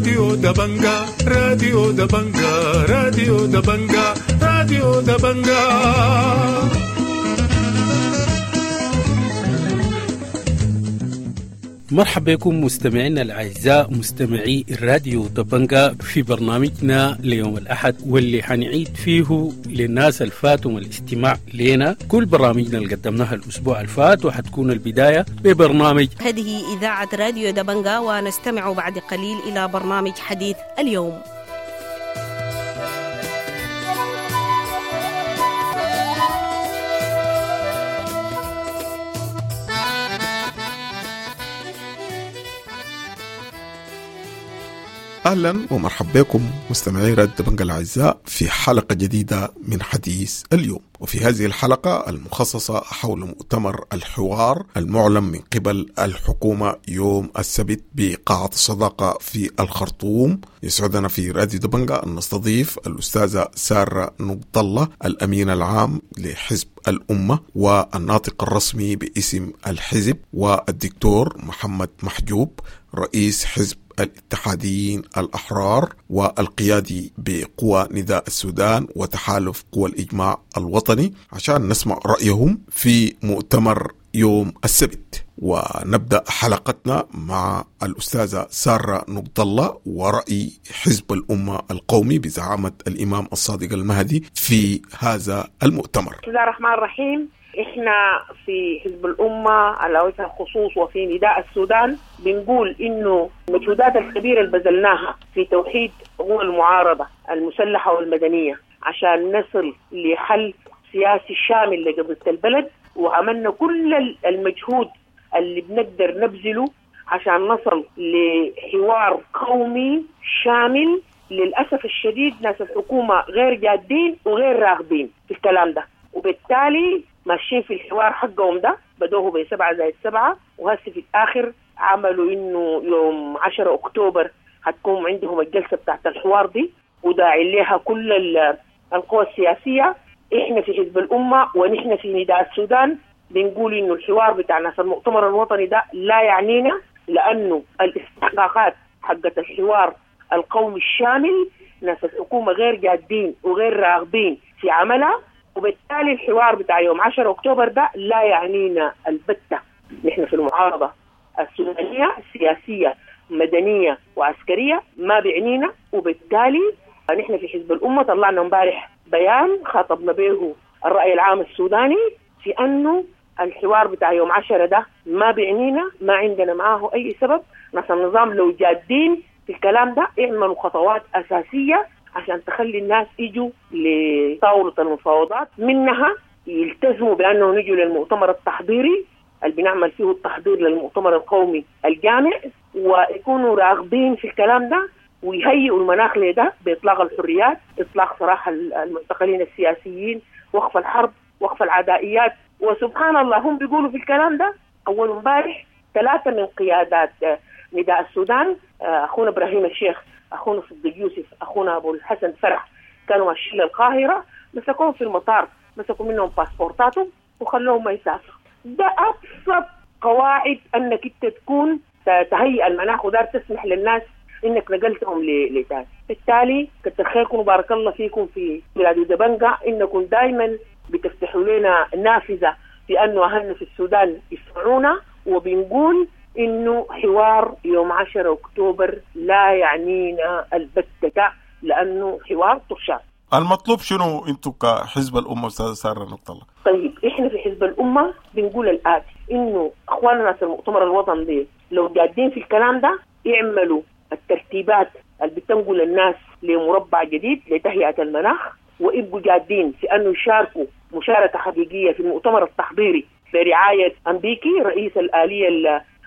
راديو دبنجا، راديو دبنجا، راديو دبنجا، راديو دبنجا. مرحبا بكم مستمعينا الأعزاء مستمعي الراديو دبنجا في برنامجنا ليوم الأحد، واللي حنعيد فيه للناس الفاتهم الاستماع لنا كل برامجنا اللي قدمناها الأسبوع الفات، وحتكون البداية ببرنامج هذه إذاعة راديو دبنجا، ونستمع بعد قليل إلى برنامج حديث اليوم. أهلا ومرحبا بكم مستمعي راديو دبنجا الأعزاء في حلقة جديدة من حديث اليوم. وفي هذه الحلقة المخصصة حول مؤتمر الحوار المعلن من قبل الحكومة يوم السبت بقاعة الصداقة في الخرطوم، يسعدنا في راديو دبنجا أن نستضيف الأستاذة سارة نقد الله، الأمين العام لحزب الأمة والناطق الرسمي باسم الحزب، والدكتور محمد محجوب رئيس حزب الاتحاديين الأحرار والقيادي بقوى نداء السودان وتحالف قوى الإجماع الوطني، عشان نسمع رأيهم في مؤتمر يوم السبت. ونبدأ حلقتنا مع الأستاذة سارة نقد الله ورأي حزب الأمة القومي بزعامة الإمام الصادق المهدي في هذا المؤتمر. بسم الله الرحمن الرحيم. إحنا في حزب الأمة على وجه الخصوص وفي نداء السودان بنقول إنه المجهودات الكبيرة اللي بذلناها في توحيد قوى المعارضة المسلحة والمدنية عشان نصل لحل سياسي شامل لقضية البلد، وعملنا كل المجهود اللي بنقدر نبذله عشان نصل لحوار قومي شامل. للأسف الشديد ناس الحكومة غير جادين وغير راغبين في الكلام ده، وبالتالي ماشيين في الحوار حقهم ده، بدوه ب7+7، وهسه في الآخر عملوا إنه يوم 10 أكتوبر هتكون عندهم الجلسة بتاعت الحوار دي، وداعي لها كل القوى السياسية. إحنا في حزب الأمة ونحن في نداء السودان بنقول إنه الحوار بتاع ناس المؤتمر الوطني ده لا يعنينا، لأنه الاستحقاقات حقت الحوار القومي الشامل ناس الحكومة غير جادين وغير راغبين في عملها، وبالتالي الحوار بتاع يوم 10 أكتوبر ده لا يعنينا البتة. نحن في المعارضة السودانية السياسية مدنية وعسكرية ما بيعنينا، وبالتالي نحن في حزب الأمة طلعنا امبارح بيان خاطبنا به الرأي العام السوداني في أنه الحوار بتاع يوم 10 ده ما بيعنينا، ما عندنا معاه أي سبب. ناس النظام لو جادين في الكلام ده اعملوا خطوات أساسية عشان تخلي الناس يجوا لطاولة المفاوضات، منها يلتزموا بأنه نجوا للمؤتمر التحضيري اللي بنعمل فيه التحضير للمؤتمر القومي الجامع، ويكونوا راغبين في الكلام ده، ويهيئوا المناخ لده بإطلاق الحريات، إطلاق سراح المعتقلين السياسيين، وقف الحرب، وقف العدائيات. وسبحان الله هم بيقولوا في الكلام ده. أول امبارح 3 من قيادات نداء السودان، أخونا إبراهيم الشيخ، أخونا صديق يوسف، أخونا أبو الحسن فرح، كانوا ماشيين للقاهرة، مسكوهم في المطار، مسكوا منهم باسبورتاتهم وخلوهم ما يسافروا. ده أبسط قواعد أنك أنت تكون تهيئ المناخ ودار تسمح للناس إنك نقلتهم لتاني. بالتالي كتر خيركم وبارك الله فيكم في بلاد دبنجا، إنكم دايما بتفتحوا لنا نافذة في أنه أهلنا في السودان يسمعونا، وبنقول إنه حوار يوم 10 أكتوبر لا يعنينا البتة، لأنه حوار طرشان. المطلوب شنو أنتم كحزب الأمة أستاذ سارة نقد الله؟ طيب إحنا في حزب الأمة بنقول الآتي، إنه أخواننا ناس المؤتمر الوطني دي لو جادين في الكلام ده يعملوا الترتيبات اللي بتنقل الناس لمربع جديد لتهيئة المناخ، ويبقوا جادين في أنه يشاركوا مشاركة حقيقية في المؤتمر التحضيري برعاية أمبيكي رئيس الآلية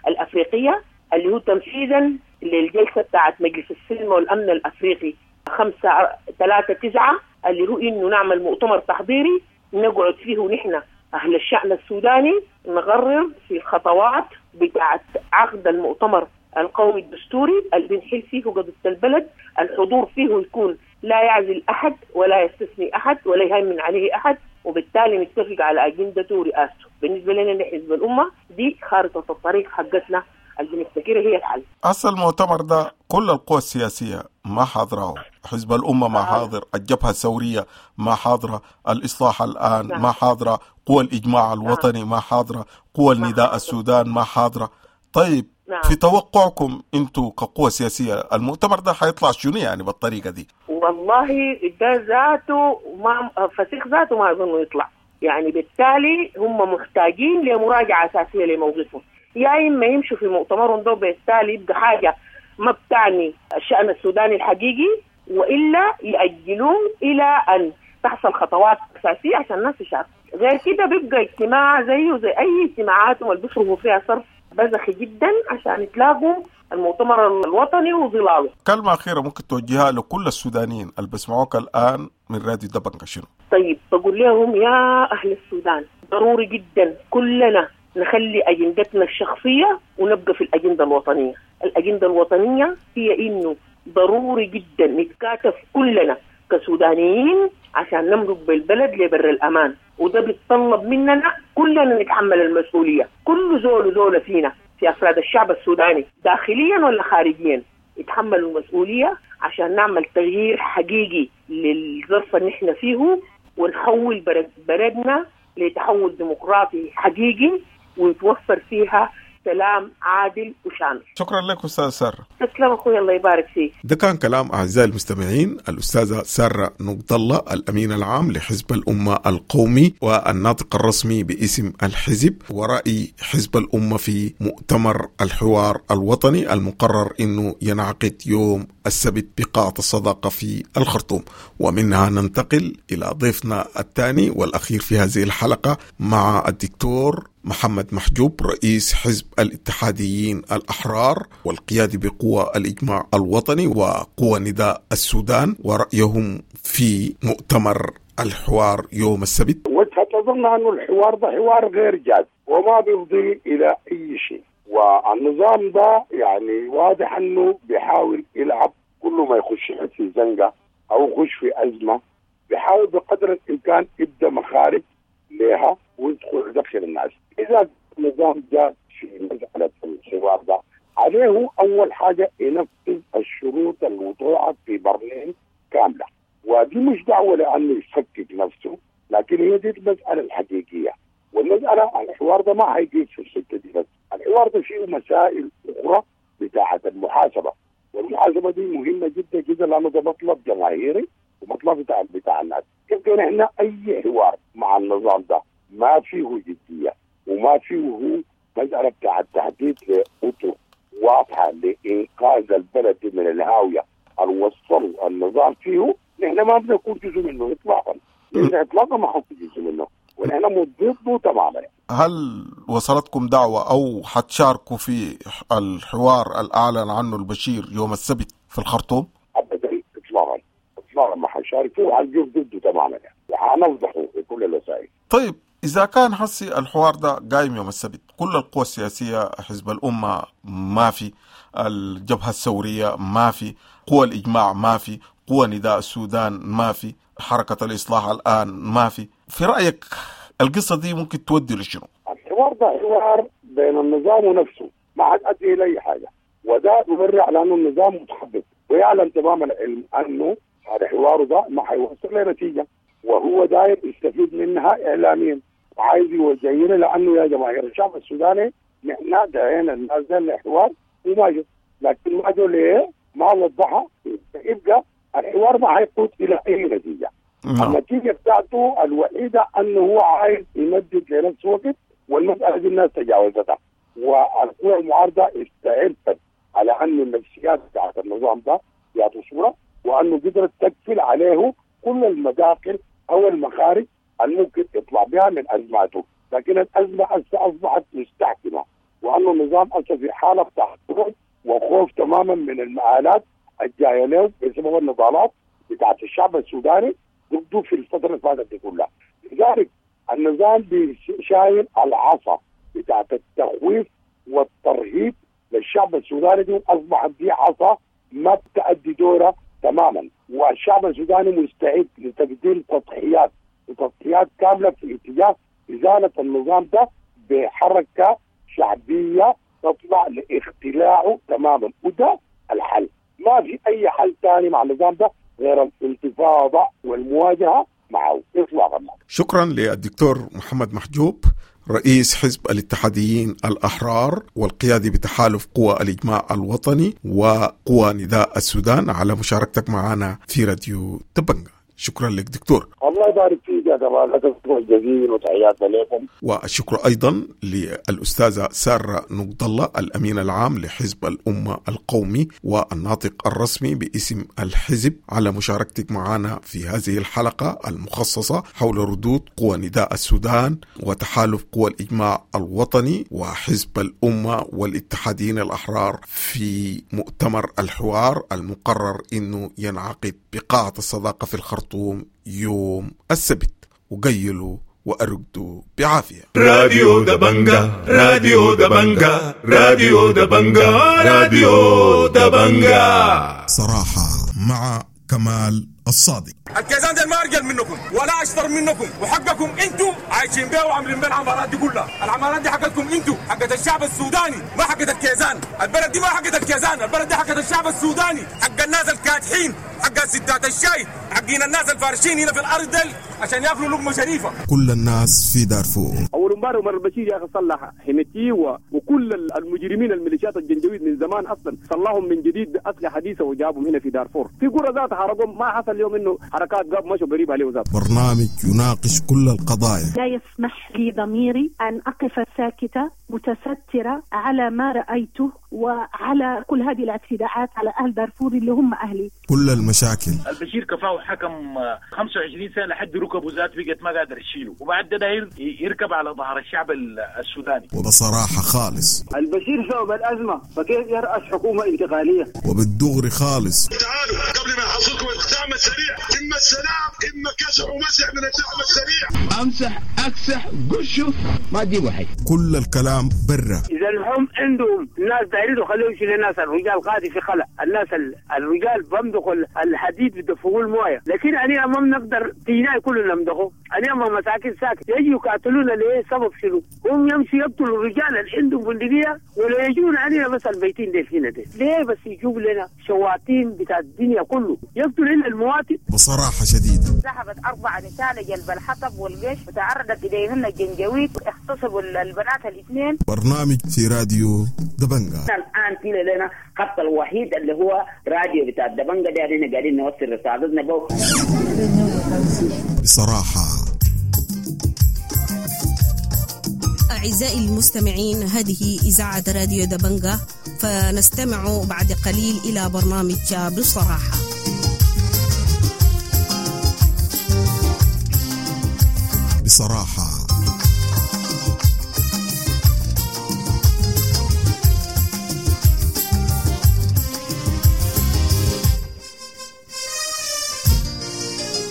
الأفريقية، اللي هو تنفيذا للجلسة بتاعت مجلس السلم والأمن الأفريقي 539، اللي هو إنه نعمل مؤتمر تحضيري نقعد فيه نحن أهل الشأن السوداني نقرر في الخطوات بتاعت عقد المؤتمر القومي الدستوري اللي بنحل فيه قضية البلد. الحضور فيه يكون لا يعزل أحد ولا يستثني أحد ولا يهيمن عليه أحد، وبالتالي نتفق على أجندته ورئاسته. بالنسبة لنا حزب الأمة دي خارطة الطريق حقتنا اللي بنفتكرها هي الحل. هسه المؤتمر ده كل القوى السياسية ما حاضره، حزب الأمة ما حاضر، الجبهة الثورية ما حاضرة، الإصلاح الآن ما حاضرة، قوى الإجماع الوطني ما حاضرة، قوى النداء السودان ما حاضرة. طيب في توقعكم انتوا كقوة سياسية المؤتمر ده حيطلع شنو يعني بالطريقة دي؟ والله ده ذاته ما فسيخ ذاته ما أظنه يطلع، يعني بالتالي هم محتاجين لمراجعة أساسية لموقفهم، يا إما يمشوا في مؤتمرهم ده بالتالي يبقى حاجة ما بتعني الشأن السوداني الحقيقي، وإلا يأجلوه إلى أن تحصل خطوات أساسية عشان الناس تشارك. غير كده بيبقى اجتماع زيه زي أي اجتماعات واللي بيصرفوا فيها صرف بزخي جدا عشان يتلاقوا المؤتمر الوطني وظلاله. كلمة أخيرة ممكن توجهها لكل السودانيين اللي بيسمعوك الآن من راديو دبنجا شنو؟ طيب بقول لهم يا أهل السودان ضروري جدا كلنا نخلي أجندتنا الشخصية ونبقى في الأجندة الوطنية. الأجندة الوطنية هي إنه ضروري جدا نتكاتف كلنا كسودانيين عشان نمرق بالبلد لبر الأمان، وده بيتطلب مننا كلنا نتحمل المسؤولية، كل زول وزولة فينا في أفراد الشعب السوداني داخليا ولا خارجيا يتحملوا المسؤولية عشان نعمل تغيير حقيقي للظرف اللي نحن فيه، ونحول بلدنا لتحول ديمقراطي حقيقي ويتوفر فيها سلام عادل وشامل. شكرا لك أستاذ سارة. تسلم أخوي، الله يبارك فيك. ده كان كلام أعزائي المستمعين الأستاذة سارة نقد الله، الأمين العام لحزب الأمة القومي والناطق الرسمي باسم الحزب، ورأي حزب الأمة في مؤتمر الحوار الوطني المقرر أنه ينعقد يوم السبت بقاعة الصداقة في الخرطوم. ومنها ننتقل إلى ضيفنا الثاني والأخير في هذه الحلقة مع الدكتور محمد محجوب، رئيس حزب الاتحاديين الأحرار والقيادي بقوى الإجماع الوطني وقوى نداء السودان، ورأيهم في مؤتمر الحوار يوم السبت. وجهة نظرنا أنه الحوار ده حوار غير جاد وما بيفضي إلى أي شيء، والنظام ده يعني واضح أنه بيحاول يلعب كل ما يخش في زنقة أو يخش في أزمة بيحاول بقدر الإمكان يبدأ مخارج لها ويدخل يدخل الناس. إذا النظام جاء في مسألة الحوار ده عليه أول حاجة ينفذ الشروط الموضوعة في برلين كاملة، ودي مش دعوة لأنه يفكك نفسه، لكن هي دي المسألة الحقيقية. والمسألة الحوار ده ما هيجي في الحتة دي بس، الحوار ده فيه مسائل أخرى بتاعة المحاسبة، والمحاسبة دي مهمة جدا جدا لأنه ده مطلب جماهيري ومطلب بتاع الناس. يمكن احنا أي حوار مع النظام ده ما فيه جدية وما فيه مسألة بتاع التحديد لأطر واضحة لإنقاذ البلد من الهاوية اللي وصلوا النظام فيه، نحن ما بنكون جزء منه إطلاقا، نحن إطلاقا ما حنكون جزء منه ونحن ضده تماما. هل وصلتكم دعوة أو حتشاركوا في الحوار الأعلن عنه البشير يوم السبت في الخرطوم؟ أبدا إطلاقا إطلاقا ما حنشارك فيه وحنجيب ضده تماما وحنفضحه بكل الوسائل. طيب إذا كان حسي الحوار ده قايم يوم السبت، كل القوى السياسية، حزب الأمة ما في، الجبهة الثورية ما في، قوى الإجماع ما في، قوى نداء السودان ما في، حركة الإصلاح الآن ما في، في رأيك القصة دي ممكن تودي لشنو؟ الحوار ده حوار بين النظام ونفسه، ما حد أدي إلى أي حاجة، وده يبرر على أنه النظام متخبط ويعلم تماما العلم أنه هذا حواره ده ما حيوصل لنتيجة، وهو داير يستفيد منها إعلاميا وعايز يوجهنا لأنه يا جماهير الشعب السوداني نحن دعينا الناس ده للحوار وما جو، لكن ما جو ليه؟ ما وضحها، يبقى الحوار ما حيقود إلى أي نتيجة. النتيجة بتاعته الوحيدة أنه هو عايز يمدد لنفسه وقت، والمسألة دي الناس تجاوزتها، والقوى المعارضة استعرفت على أن النفسيات بتاعت النظام ده بيعطوا صورة، وأنه قدرت تقفل عليه كل المداخل أو المخارج الممكن يطلع بها من أزماته. لكن الأزمة أصبحت مستحكمة، وأنه النظام أصلا في حالة تحطم وخوف تماما من المآلات الجاية له بسبب النضالات بتاعت الشعب السوداني ضده في الفترة اللي فاتت دي كلها. لذلك النظام شايل العصا بتاعت التخويف والترهيب للشعب السوداني دي، أصبحت دي عصا ما بتأدي دورها تماما، والشعب السوداني مستعد لتقديم تضحيات وتضحيات كاملة في اتجاه إزالة النظام ده بحركة شعبية تطلع لاختلاعه تماما، وده الحل. ما في اي حل ثاني مع النظام ده غير الانتفاضة والمواجهة معه اطلاقا. شكرا للدكتور محمد محجوب، رئيس حزب الاتحاديين الأحرار والقيادي بتحالف قوى الإجماع الوطني وقوى نداء السودان، على مشاركتك معنا في راديو دبنجا. شكرا لك دكتور. الله يبارك فيك يا كمال، لك الشكر الجزيل وتحياتنا لكم. والشكر أيضا للأستاذة سارة نقد الله، الأمين العام لحزب الأمة القومي والناطق الرسمي باسم الحزب، على مشاركتك معنا في هذه الحلقة المخصصة حول ردود قوى نداء السودان وتحالف قوى الإجماع الوطني وحزب الأمة والاتحاديين الأحرار في مؤتمر الحوار المقرر أنه ينعقد بقاعة الصداقة في الخرطوم يوم السبت. وقيلوا وأرقدوا بعافية. راديو دبنجا، راديو دبنجا، راديو دبنجا، راديو دبنجا. صراحة مع كمال الصادق. الكيزان ده ما ارجل منكم ولا اشطر منكم، وحقكم انتم عايشين بيه وعاملين بيه العمارات دي كلها. العمارات دي حقتكم انتم، حقت الشعب السوداني، ما حقت الكيزان. البلد دي ما حقت الكيزان، البلد دي حقت الشعب السوداني، حق الناس الكادحين، حق ستات الشاي، حقين الناس الفارشين هنا في الارض دي عشان ياكلوا لقمة شريفه. كل الناس في دارفور. اول امبارح عمر البشير يا اخي صلح حميتي وكل المجرمين الميليشيات الجنجويد من زمان اصلا صلحهم من جديد باسلحه حديثه وجابهم هنا في دارفور. في قرى ذات حرقهم، ما حصل اليوم انه حركات قاب مشوا قريب عليه ذات. برنامج يناقش كل القضايا. لا يسمح لي ضميري ان اقف ساكته متستره على ما رايته وعلى كل هذه الاعتداءات على اهل دارفور اللي هم اهلي. كل المشاكل. البشير كفاه حكم 25 سنة لحد ركبه ذات بقت ما قادر يشيله، وبعد ده يركب على ظهر الشعب السوداني. وبصراحة خالص البشير سبب الازمة، فكيف يرأس حكومة انتقالية؟ وبالدغري خالص. تعالوا قبل ما يحصلكم الدعم السريع، اما السلام اما كسح ومسح من الدعم السريع. امسح اكسح قشه ما تجيبوا حي. كل الكلام برا. اذا هم عندهم ناس دايرين خليهم يشيلوا الناس، الرجال قاعد في خلا، الناس الرجال بمدخوا الحديد بدفقوا المويه، لكن انا ما بنقدر تينا كلنا نمدخه، انا ما مساكن ساكت يجوا يقاتلونا ليه؟ سبب شنو؟ هم يمشي يقتلوا الرجال اللي عندهم بندقية ولا يجون علينا بس البيتين دي هنا دي، ليه بس يجيب لنا شواطين بتاع الدنيا كله يقتل لنا المواطن؟ بصراحة شديدة. ذهبت 4 نساء لجلب الحطب والقش وتعرضت اليهن الجنجويد، اغتصبوا البنات الاثنين. برنامج في راديو دبنجا. الان في لنا خط الوحيد اللي هو راديو بتاع دبنجا ده، احنا قاعدين نوصل رسالتنا به بصراحة. أعزائي المستمعين، هذه إذاعة راديو دبنجا، فنستمع بعد قليل إلى برنامج بصراحة. بصراحة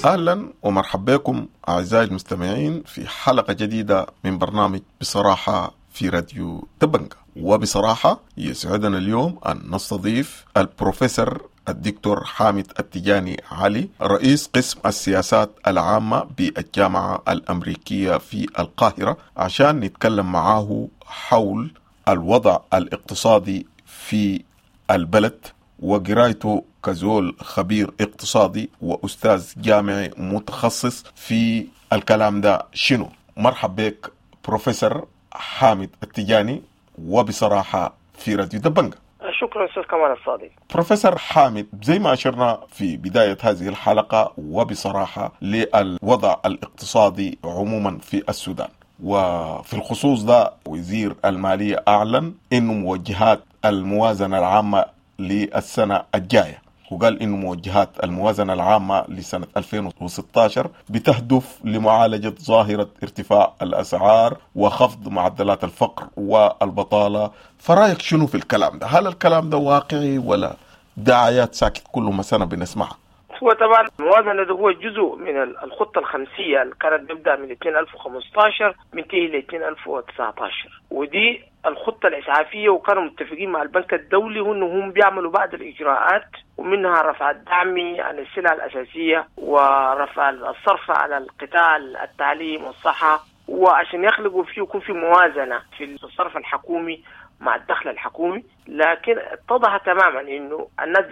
أهلا ومرحبا بكم أعزائي المستمعين في حلقة جديدة من برنامج بصراحة في راديو دبنجا. وبصراحة يسعدنا اليوم أن نستضيف البروفيسور الدكتور حامد التجاني علي، رئيس قسم السياسات العامة بالجامعة الأمريكية في القاهرة، عشان نتكلم معاه حول الوضع الاقتصادي في البلد وقرايته كزول خبير اقتصادي وأستاذ جامعي متخصص في الكلام ده شنو. مرحب بك بروفيسور حامد التجاني وبصراحة في راديو دبنجا. شكرا أستاذ كمال الصادق. بروفيسور حامد، زي ما أشرنا في بداية هذه الحلقة وبصراحة للوضع الاقتصادي عموما في السودان، وفي الخصوص ده وزير المالية أعلن إنه موجهات الموازنة العامة للسنة الجاية، وقال إنه موجهات الموازنة العامة لسنة 2016 بتهدف لمعالجة ظاهرة ارتفاع الأسعار وخفض معدلات الفقر والبطالة. فرأيك شنو في الكلام ده؟ هل الكلام ده واقعي ولا دعايات ساكت كل ما سنة بنسمعها؟ هو طبعا الموازنة ده هو جزء من الخطة الخمسية اللي كانت بيبدأ من 2015 بينتهي ل 2019، ودي الخطة الإسعافية، وكانوا متفقين مع البنك الدولي وإنهم بيعملوا بعض الإجراءات، ومنها رفع الدعم عن السلع الأساسية ورفع الصرف على القطاع التعليم والصحة وعشان يخلقوا فيه يكون في موازنه في الصرف الحكومي مع الدخل الحكومي. لكن اتضح تماما انه الناس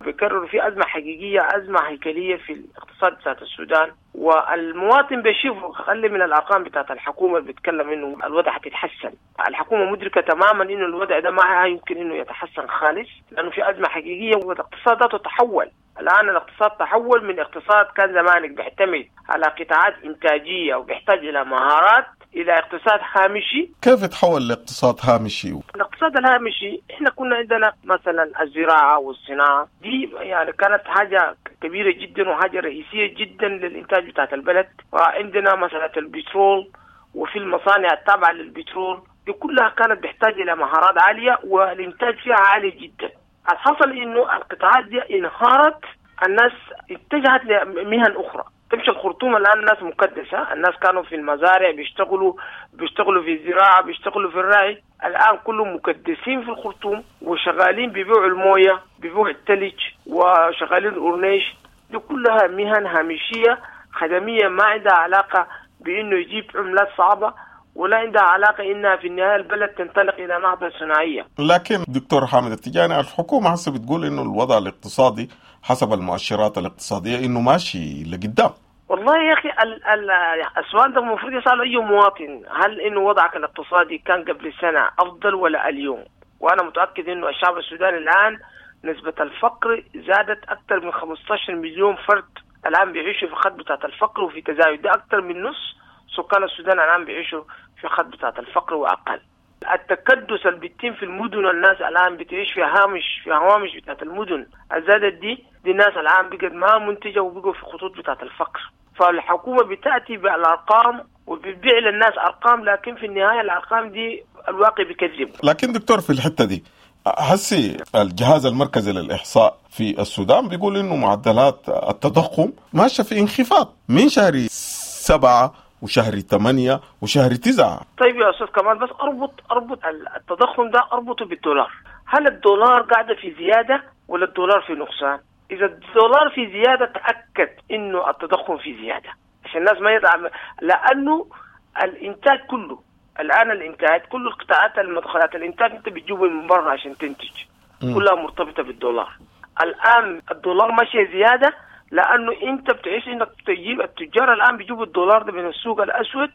بيكرروا في ازمة حقيقية، ازمة هيكلية في الاقتصاد بتاعت السودان، والمواطن بيشوف اقل من الارقام بتاعت الحكومة اللي بيتكلم انه الوضع حتتحسن. الحكومة مدركه تماما انه الوضع ده ما يمكن انه يتحسن خالص، لانه في ازمة حقيقية والاقتصاد ذاته تحول. الان الاقتصاد تحول من اقتصاد كان زمانك بيعتمد على قطاعات انتاجية وبيحتاج الى مهارات الى اقتصاد هامشي. كيف تحول لاقتصاد هامشي؟ الاقتصاد الهامشي احنا كنا عندنا مثلا الزراعة والصناعة دي يعني كانت حاجة كبيرة جدا وحاجه رئيسية جدا للانتاج بتاعت البلد، وعندنا مسالة البترول وفي المصانع التابعة للبترول دي كلها كانت بتحتاج الى مهارات عالية والانتاج فيها عالي جدا. الحصل انه القطاعات دي انهارت، الناس اتجهت لمهن اخرى. تمشي الخرطوم الان الناس مكدسه، الناس كانوا في المزارع بيشتغلوا في الزراعة، بيشتغلوا في الرعي، الان كلهم مكدسين في الخرطوم وشغالين بيبيعوا المويه، بيبيعوا الثلج، وشغالين الاورنيش. دي كلها مهن هامشية خدميه ما عندها علاقة بانه يجيب عملات صعبة، ولا عندها علاقة انها في النهاية البلد تنطلق الى نهضة صناعية. لكن دكتور حامد التجاني، الحكومة هسه بتقول انه الوضع الاقتصادي حسب المؤشرات الاقتصادية انه ماشي لقدام. والله يا اخي السؤال ده المفروض يسأله اي مواطن، هل انه وضعك الاقتصادي كان قبل سنة افضل ولا اليوم؟ وانا متاكد انه الشعب السوداني الان نسبه الفقر زادت اكثر من 15 مليون فرد الان بيعيشوا في خط بتاعت الفقر وفي تزايد، ده اكثر من نص سكان السودان الان بيعيشوا في خط بتاعت الفقر واقل. التكدس اللي بيتم في المدن، الناس الان بتعيش في هامش، في هوامش بتاعت المدن الزادت دي الناس الان بقت ما منتجه وبقوا في خطوط بتاعت الفقر. فالحكومة بتاتي بالارقام وبتبيع للناس ارقام، لكن في النهاية الارقام دي الواقع بيكذب. لكن دكتور في الحتة دي هسي الجهاز المركزي للإحصاء في السودان بيقول إنه معدلات التضخم ماشية في انخفاض من شهر 7 وشهر 8 وشهر 9. طيب يا أستاذ كمال، بس أربط التضخم ده أربطه بالدولار. هل الدولار قاعدة في زيادة ولا الدولار في نقصان؟ إذا الدولار في زيادة تأكد إنه التضخم في زيادة، عشان الناس ما يدعم، لأنه الإنتاج كله الآن، الإنتاج كل القطاعات المدخلات الإنتاج أنت بتجيبه من برا عشان تنتج، كلها مرتبطة بالدولار. الآن الدولار ماشي زيادة لأنه أنت بتعيش إنك تجيب التجار الآن بيجيبوا الدولار ده من السوق الأسود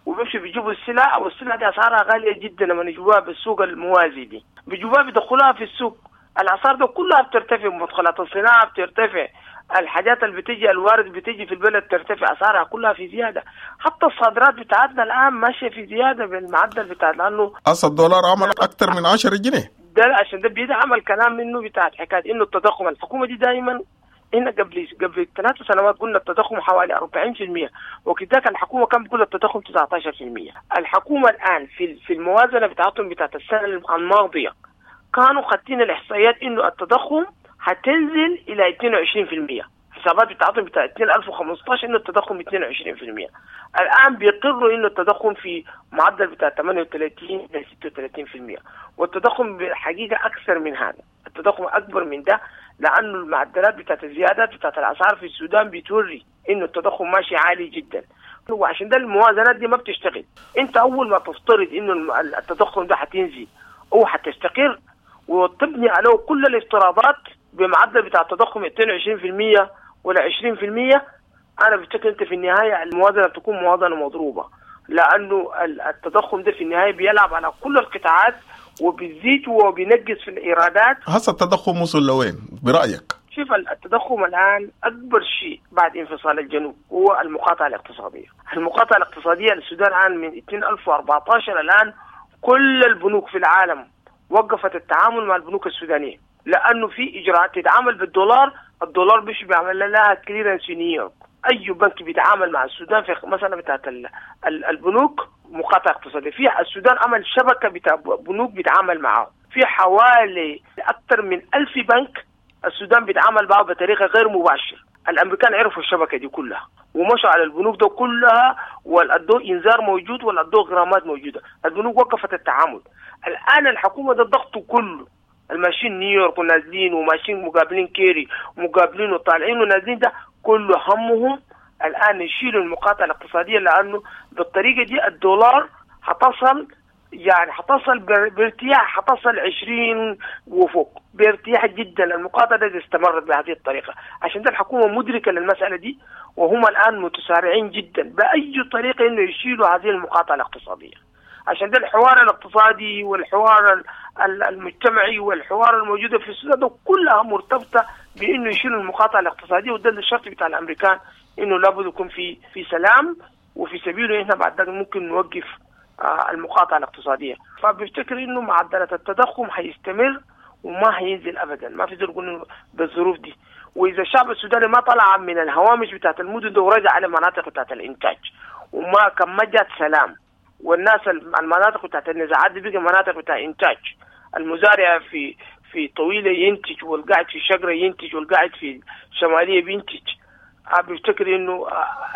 وبيمشوا بيجيبوا السلع، والسلع دي أسعارها غالية جدا لما يجيبوها بالسوق الموازي دي، بيجيبوها بيدخلوها في السوق، الأسعار ده كلها بترتفع، مدخلات الصناعة بترتفع، الحاجات اللي بتيجي الوارد بتيجي في البلد ترتفع اسعارها كلها في زيادة، حتى الصادرات بتاعتنا الان ماشية في زيادة بالمعدل بتاع، لانه اصل الدولار عمل اكثر من 10 جنيه. ده عشان ده بيدعم الكلام منه بتاع حكاية انه التضخم. الحكومة دي دائما هنا قبل 3 سنوات قلنا التضخم حوالي 40%، وكذلك الحكومة كان بتقول التضخم 19%. الحكومة الان في الموازنة بتاعتهم بتاعت السنة الماضية كانوا خاتين الاحصائيات انه التضخم هتنزل الى 22%، حسابات بتاعتهم بتاع 2015 انه التضخم 22%. الان بيقروا انه التضخم في معدل بتاع 38 الى 36%، والتضخم بالحقيقة اكثر من هذا، التضخم اكبر من ده، لانه المعدلات بتاعت الزيادات بتاعت الاسعار في السودان بتوري انه التضخم ماشي عالي جدا، وعشان ده الموازنات دي ما بتشتغل. انت اول ما تفترض انه التضخم ده هتنزل او هتستقر وتبني عليه كل الافتراضات بمعدل بتاع التضخم 22% ولا 20%، انا بفتكر انت في النهاية الموازنة بتكون موازنه مضروبة، لانه التضخم ده في النهاية بيلعب على كل القطاعات وبيزيد وبينقص في الايرادات. هسه التضخم وصل لوين برايك؟ شوف التضخم الان اكبر شيء بعد انفصال الجنوب هو المقاطعة الاقتصادية. المقاطعة الاقتصادية للسودان الان من 2014 الان كل البنوك في العالم وقفت التعامل مع البنوك السودانية، لانه في اجراءات تتعامل بالدولار، الدولار مش بيعمل لها clearance في نيويورك. اي بنك بيتعامل مع السودان في مثلا بتاعت البنوك مقاطعه اقتصادية، في السودان عمل شبكة بتاع بنوك بيتعامل معاه، في حوالي اكثر من 1000 بنك السودان بيتعامل معه بطريقة غير مباشرة. الامريكان عرفوا الشبكة دي كلها ومشوا على البنوك ده كلها، والادوا انذار موجود والادوا غرامات موجودة، البنوك وقفت التعامل. الان الحكومة ده الضغط كله، الماشيين نيويورك ونازلين وماشيين مقابلين كيري ومقابلين وطالعين ونازلين، ده كله همهم الان يشيلوا المقاطعة الاقتصادية، لانه بالطريقة دي الدولار حتصل، يعني حتصل بارتياح، حتصل 20 وفوق بارتياح جدا. المقاطعة دي استمرت بهذه الطريقة، عشان ده الحكومة مدركه للمسالة دي، وهم الان متسارعين جدا باي طريقه انه يشيلوا هذه المقاطعة الاقتصادية. عشان ده الحوار الاقتصادي والحوار المجتمعي والحوار الموجودة في السودان ده كلها مرتبطة بانه يشيلوا المقاطعة الاقتصادية، وده الشرط بتاع الامريكان انه لابد يكون في سلام، وفي سبيله احنا بعد ذلك ممكن نوقف المقاطعة الاقتصادية. فبفتكر انه معدلات التضخم حيستمر وما حينزل ابدا، ما في زول يقول بالظروف دي. واذا الشعب السوداني ما طلع من الهوامش بتاعت المدن ده ورجع على مناطق بتاعت الانتاج، وما كان ما جات سلام، والناس المناطق بتاعت النزاعات دي بقى مناطق بتاع انتاج، المزارع في طويلة ينتج، والقاعد في شجرة ينتج، والقاعد في شمالية بينتج. بفتكر انه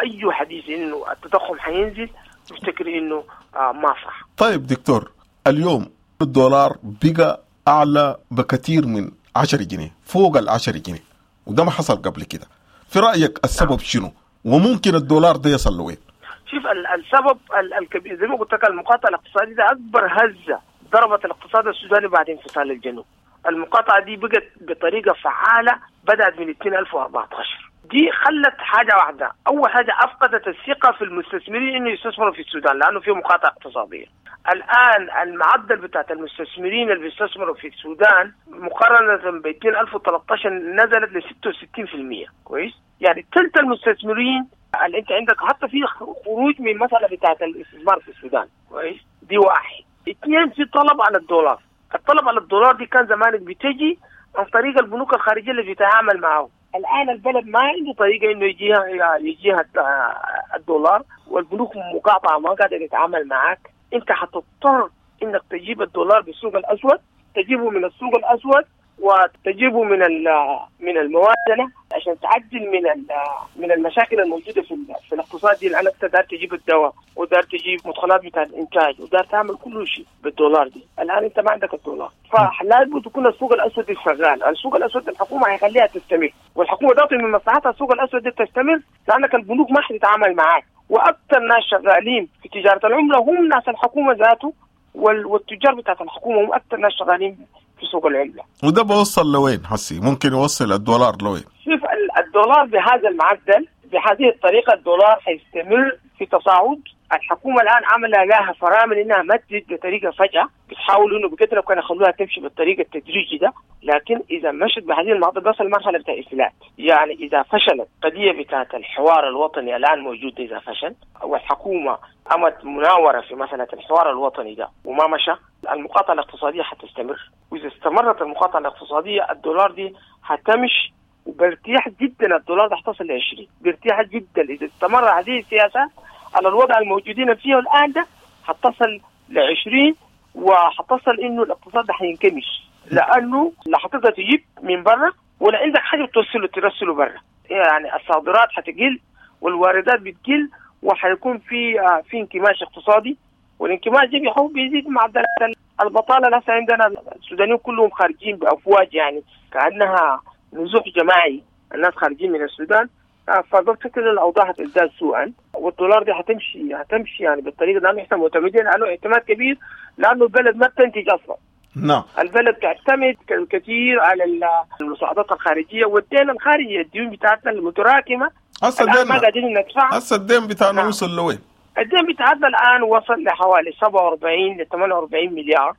اي حديث انه التضخم حينزل بفتكر انه ما صح. طيب دكتور، اليوم الدولار بقى اعلى بكثير من 10 جنيه، فوق ال 10 جنيه، وده ما حصل قبل كده. في رايك السبب شنو؟ وممكن الدولار ده يصل لوين؟ شوف السبب الكبير زي ما قلت لك، المقاطعة الاقتصادية ده اكبر هزه ضربت الاقتصاد السوداني بعد انفصال الجنوب. المقاطعة دي بقت بطريقة فعاله بدات من 2014، دي خلت حاجة واحدة، اول حاجة افقدت الثقة في المستثمرين انه يستثمروا في السودان لانه في مقاطعه اقتصادية. الان المعدل بتاعت المستثمرين اللي بيستثمروا في السودان مقارنة ب 2013 نزلت ل 66%، كويس؟ يعني ثلث المستثمرين اللي انت عندك حتى في خروج من مسالة بتاعت الاستثمار في السودان، كويس؟ دي واحد. اثنين، في طلب على الدولار. الطلب على الدولار دي كان زمان بتجي عن طريق البنوك الخارجية اللي بتتعامل معه. الان البلد ما عنده طريقه انه يجيها الدولار، والبنوك مقاطعه ما قادرة تتعامل معك. انت حتضطر انك تجيب الدولار بالسوق الاسود، تجيبه من السوق الاسود وتجيبه من الموازنة عشان تعدل من المشاكل الموجودة في الاقتصاد دي، لانك انت دار تجيب الدواء ودار تجيب مدخلات بتاع الانتاج ودار تعمل كل شيء بالدولار دي. الان انت ما عندك الدولار، فلابد تكون السوق الاسود شغال. السوق الاسود الحكومة هيخليها تستمر، والحكومة ذاته من مصلحتها السوق الاسود دي تستمر، لانك البنوك ما حتتعامل معاك، واكثر ناس شغالين في تجارة العملة هم ناس الحكومة ذاته والتجار بتاعت الحكومة هم اكثر ناس شغالين في سوق العملة. وده بوصل لوين حسي؟ ممكن يوصل الدولار لوين؟ شوف الدولار بهذا المعدل بهذه الطريقة الدولار حيستمر في تصاعد. الحكومة الان عامله لها فرامل انها ما تزيد بطريقة فجاة، بتحاول انه بقدر الامكان يخلوها تمشي بالطريقة التدريجي ده، لكن اذا مشت بهذه المعدل بس المرحلة بتاع افلات. يعني اذا فشلت قضية بتاعت الحوار الوطني الان موجود، اذا فشل والحكومة قامت مناوره في مسالة الحوار الوطني ده وما مشى، المقاطعة الاقتصادية حتستمر. واذا استمرت المقاطعة الاقتصادية الدولار دي حتمشي وبارتياح جدا، الدولار ده حتصل ل 20 بارتياح جدا. اذا استمر هذه السياسة على الوضع الموجودين فيه الان ده حتصل ل 20، وحتصل انه الاقتصاد ده حينكمش، لانه لا حتقدر تجيب من برا ولا عندك حاجة توصله ترسله برا. يعني الصادرات حتقل والواردات بتقل، وحيكون في انكماش اقتصادي، والانكماش ده بيزيد معدلات البطالة. لسه عندنا السودانيين كلهم خارجين بافواج، يعني كانها نزوح جماعي، الناس خارجين من السودان. فبفتكر الاوضاع هتزداد سوءا، والدولار دي هتمشي يعني بالطريقة لانه احنا معتمدين عليه اعتماد كبير، لانه البلد ما بتنتج اصلا. نعم، البلد تعتمد كثير على المساعدات الخارجية والدين الخارجي، الديون بتاعتنا المتراكمة الان ما قادرين ندفعها. هسه الدين بتاعنا وصل لوين؟ الدين بتاعتنا الان وصل لحوالي 47 ل 48 مليار.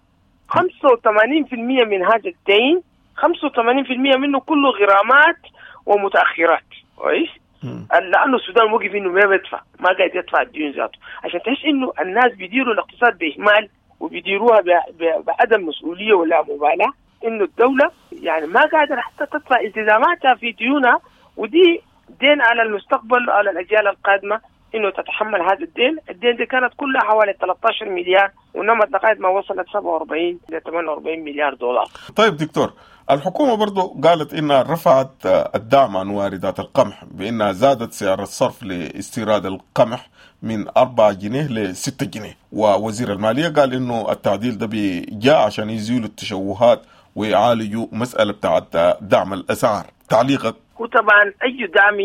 85% من هذا الدين، 85% منه كله غرامات ومتاخرات، كويس؟ لانه السودان وقف انه ما بيدفع، ما قاعد يدفع الديون ذاته، عشان تحس انه الناس بيديروا الاقتصاد باهمال وبيديروها بعدم مسؤولية ولا مبالاة، انه الدولة يعني ما قادرة حتى تدفع التزاماتها في ديونها، ودي دين على المستقبل على الاجيال القادمة انه تتحمل هذا الدين. الدين دي كانت كلها حوالي 13 مليار ونمت لغاية ما وصلت 47 ل 48 مليار دولار. طيب دكتور، الحكومة برضو قالت إنها رفعت الدعم عن واردات القمح بإنها زادت سعر الصرف لاستيراد القمح من 4 جنيه ل 6 جنيه، ووزير المالية قال إنه التعديل ده جاء عشان يزيلوا التشوهات ويعالجوا مسألة بتاعت دعم الأسعار. تعليقك؟ هو طبعا اي دعم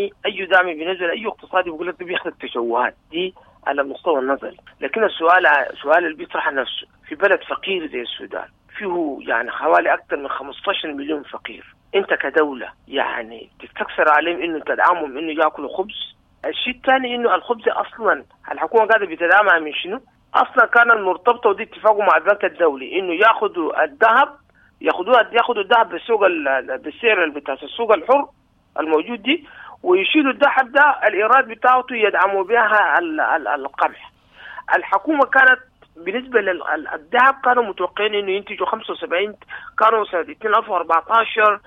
بالنسبة لاي اقتصادي بيقول لك بيخلق تشوهات دي على المستوى النظري، لكن السؤال اللي بيطرح نفسه في بلد فقير زي السودان فيه يعني حوالي اكثر من 15 مليون فقير، انت كدولة يعني تستكثر عليهم انه تدعمهم انه ياكلوا خبز؟ الشيء الثاني انه الخبز اصلا الحكومة قاعدة بتدعمها من شنو؟ اصلا كان المرتبطة ودي اتفاقوا مع البنك الدولي انه ياخذوا الذهب، ياخذوا الذهب بالسوق بالسعر بتاع السوق الحر الموجود دي، ويشيلوا الذهب ده الايراد بتاعته يدعموا بها القمح. الحكومة كانت بالنسبة للذهب كانوا متوقعين انه ينتجوا 75، كانوا سنة 2014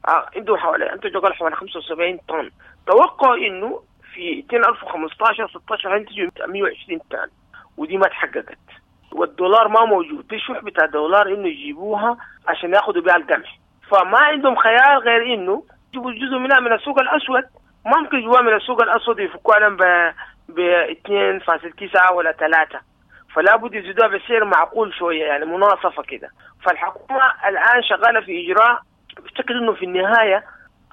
عندهم حوالي انتجوا حوالي 75 طن، توقعوا انه في 2015 16 هينتجوا 120 طن، ودي ما تحققت. والدولار ما موجود، في شح بتاع دولار انه يجيبوها عشان ياخذوا بها القمح، فما عندهم خيار غير انه يجيبوا جزء منها من السوق الاسود. ما ممكن يجيبوها من السوق الاسود يفكوها لهم ب 2.9 ولا 3، فلا بد يزيدوها بسعر معقول شوية، يعني مناصفه كده. فالحكومة الان شغالة في اجراء، بفتكر انه في النهاية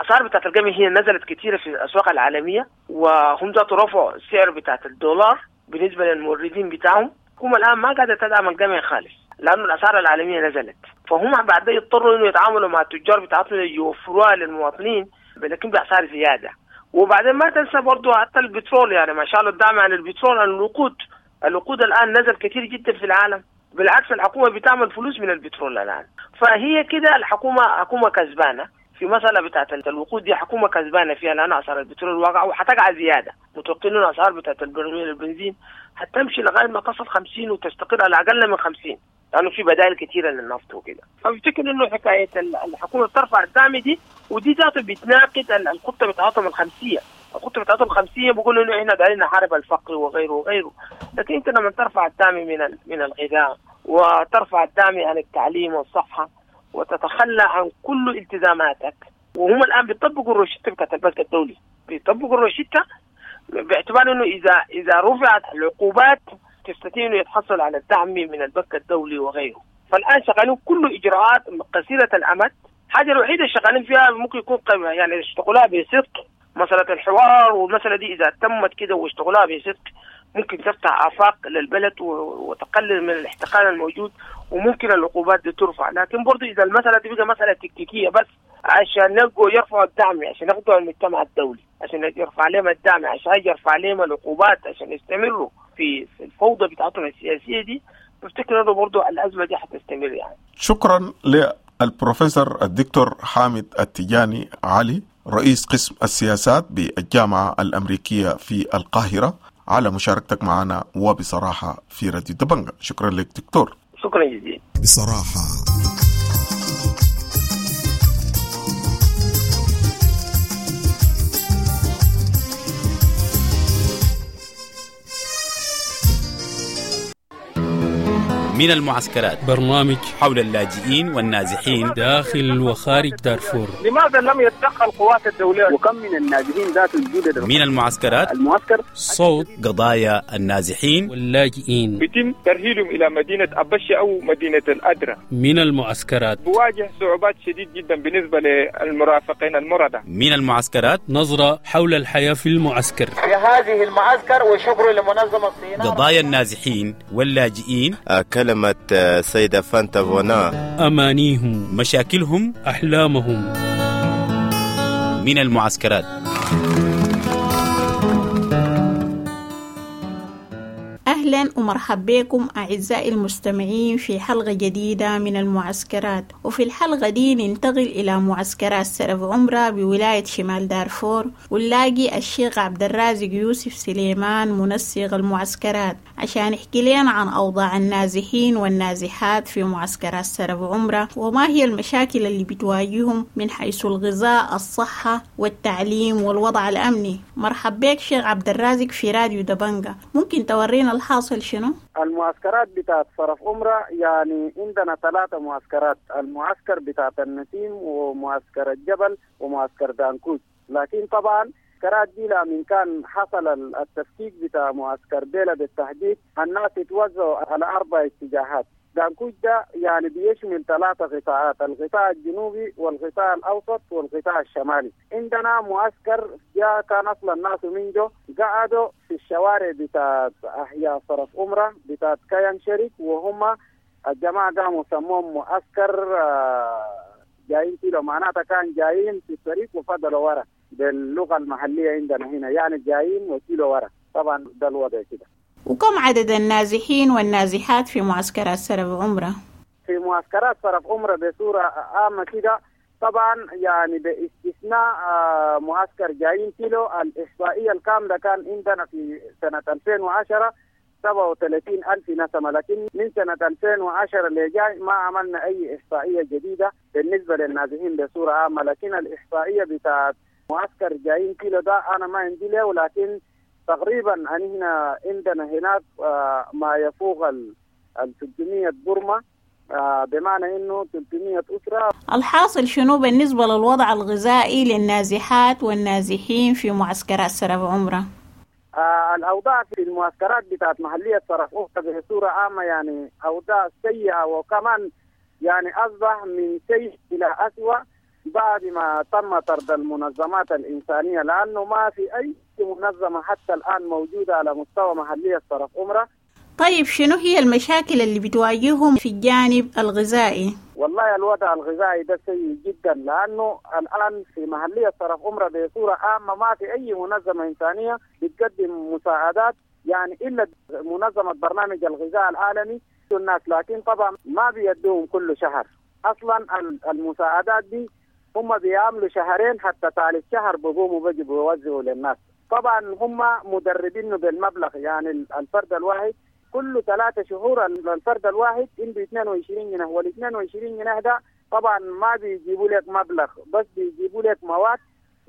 اسعار بتاعت القمح هي نزلت كثيرة في الاسواق العالمية، وهم ذاتوا رفعوا السعر بتاعت الدولار بالنسبة للموردين بتاعهم. الحكومة الان ما قاعدة تدعم القمح خالص لانه الاسعار العالمية نزلت، فهم بعد يضطروا انه يتعاملوا مع التجار بتاعتهم يوفروها للمواطنين لكن باسعار زيادة. وبعدين ما تنسى برضه حتى البترول، يعني ما شاء الله الدعم عن البترول عن الوقود الان نزل كثير جدا في العالم، بالعكس الحكومة بتعمل فلوس من البترول الان. فهي كده الحكومة حكومة كسبانه في مسألة بتاعت الوقود دي، حكومة كسبانة فيها لأن أسعار البترول واقعة وحتقع زيادة، متوقعين إنه أسعار بتاعت البرميل البنزين حتمشي لغاية ما تصل 50 وتستقر على أقل من 50، لأنه في بدائل كثيرة للنفط وكده. فبفتكر إنه حكاية الحكومة بترفع الدعم دي، ودي ذاته بتناقض الخطة بتاعتهم الخمسية. الخطة بتاعتهم الخمسية بيقولوا إنه إحنا دايرين نحارب الفقر وغيره وغيره، لكن أنت لما ترفع الدعم من الغذاء وترفع الدعم عن التعليم والصحة وتتخلى عن كل التزاماتك، وهم الآن بيطبقوا الروشتة بتاعت البنك الدولي، بيطبقوا الروشتة باعتبار انه اذا رفعت العقوبات تستطيع انه يتحصل على الدعم من البنك الدولي وغيره. فالآن شغالين كل اجراءات قصيرة الامد. الحاجة الوحيدة شغالين فيها ممكن يكون يعني يشتغلوها بصدق مسألة الحوار، والمسألة دي إذا تمت كده واشتغلوها بصدق ممكن تفتح آفاق للبلد وتقلل من الاحتقان الموجود، وممكن العقوبات دي ترفع. لكن برضو إذا المسألة دي بقى مسألة تكتيكية بس عشان يلقوا يرفعوا الدعم، عشان ياخدوا المجتمع الدولي، عشان يرفع عليهم الدعم، عشان يرفع عليهم العقوبات، عشان يستمروا في الفوضى بتاعتهم السياسية دي، بفتكر إنه برضو الأزمة دي حتستمر يعني. شكرا للبروفيسور الدكتور حامد التجاني علي، رئيس قسم السياسات بالجامعة الأمريكية في القاهرة، على مشاركتك معنا وبصراحة في راديو دبنجة. شكرا لك دكتور. شكرا جزيلا. بصراحة من المعسكرات، برنامج حول اللاجئين والنازحين داخل وخارج دارفور. لماذا لم يتدخل القوات الدولية؟ وكم من النازحين ذات الجدد من المعسكرات؟ المعسكر صوت قضايا النازحين واللاجئين بيتم ترحيلهم إلى مدينة أبشة أو مدينة الأدرة. من المعسكرات بواجه صعوبات شديد جدا بالنسبة للمرافقين المرضى. من المعسكرات نظرة حول الحياة في المعسكر، في هذه المعسكر، وشكر لمنظمة الصين. قضايا النازحين واللاجئين، كلمة سيدة فانتا فونا، أمانيهم، مشاكلهم، أحلامهم. من المعسكرات. أهلا ومرحبا بكم أعزائي المستمعين في حلقة جديدة من المعسكرات. وفي الحلقة دي ننتقل إلى معسكرات سرف عمرة بولاية شمال دارفور، ونلاقي الشيخ عبد الرازق يوسف سليمان منسق المعسكرات عشان يحكي لنا عن أوضاع النازحين والنازحات في معسكرات سرف عمرة، وما هي المشاكل اللي بتواجههم من حيث الغذاء، الصحة والتعليم والوضع الأمني. مرحبا بك شيخ عبد الرازق في راديو دبنجة، ممكن تورينا الحاصل شنو؟ المعسكرات بتاعت صرف عمرة يعني عندنا 3 معسكرات، المعسكر بتاعت النسيم ومعسكر الجبل ومعسكر دانكوت. لكن طبعا المعسكرات دي من كان حصل التفكيك بتاع معسكر بيلا بالتحديد، الناس اتوزعوا على 4 اتجاهات. دانكوج ده يعني بيشمل 3 قطاعات، القطاع الجنوبي والقطاع الأوسط والقطاع الشمالي. عندنا معسكر جاء كان أصلا الناس من جو قعدوا في الشوارع بتاعت أحياء صرف أمرة بتاعت كيان شريك، وهم الجماعة قاموا سموهم معسكر جايين كيلو، معناتها كان جايين في الطريق وفضلوا ورا باللغة المحلية عندنا هنا، يعني جايين وكيلو ورا. طبعا ده الوضع كده. وكم عدد النازحين والنازحات في معسكرات سرف عمرة؟ في معسكرات سرف عمرة بصورة عامة كده طبعا يعني باستثناء معسكر جايين كيلو، الإحصائية الكاملة كان عندنا في سنة 2010 37,000 نسمة، لكن من سنة 2010 اللي جاي ما عملنا أي إحصائية جديدة بالنسبة للنازحين بصورة عامة. لكن الإحصائية بتاعت معسكر جايين كيلو ده أنا ما عندي له، ولكن تقريبا هنا عندنا هناك ما يفوق ال 300 برمة، بمعنى انه 300 اسره. الحاصل شنو بالنسبه للوضع الغذائي للنازحات والنازحين في معسكرات سرف عمره؟ الاوضاع في المعسكرات بتاعت محليه سرف عمره بصوره عامه يعني اوضاع سيئه، وكمان يعني اصبح من سيء الى اسوأ بعد ما تم طرد المنظمات الإنسانية، لأنه ما في أي منظمة حتى الآن موجودة على مستوى محلية صرف عمرة. طيب شنو هي المشاكل اللي بتواجههم في الجانب الغذائي؟ والله الوضع الغذائي ده سيء جدا، لأنه الآن في محلية صرف عمرة بصورة عامة ما في أي منظمة إنسانية بتقدم مساعدات، يعني إلا منظمة برنامج الغذاء العالمي الناس، لكن طبعا ما بيدوهم كل شهر. أصلا المساعدات دي هم بيعملوا شهرين، حتى ثالث شهر بقوموا بيجوا بيوزعوا للناس. طبعا هم مدربينه بالمبلغ، يعني الفرد الواحد كل 3 شهور الفرد الواحد عنده 22 جنيه، وال 22 جنيه ده طبعا ما بيجيبوا لك مبلغ، بس بيجيبوا لك مواد.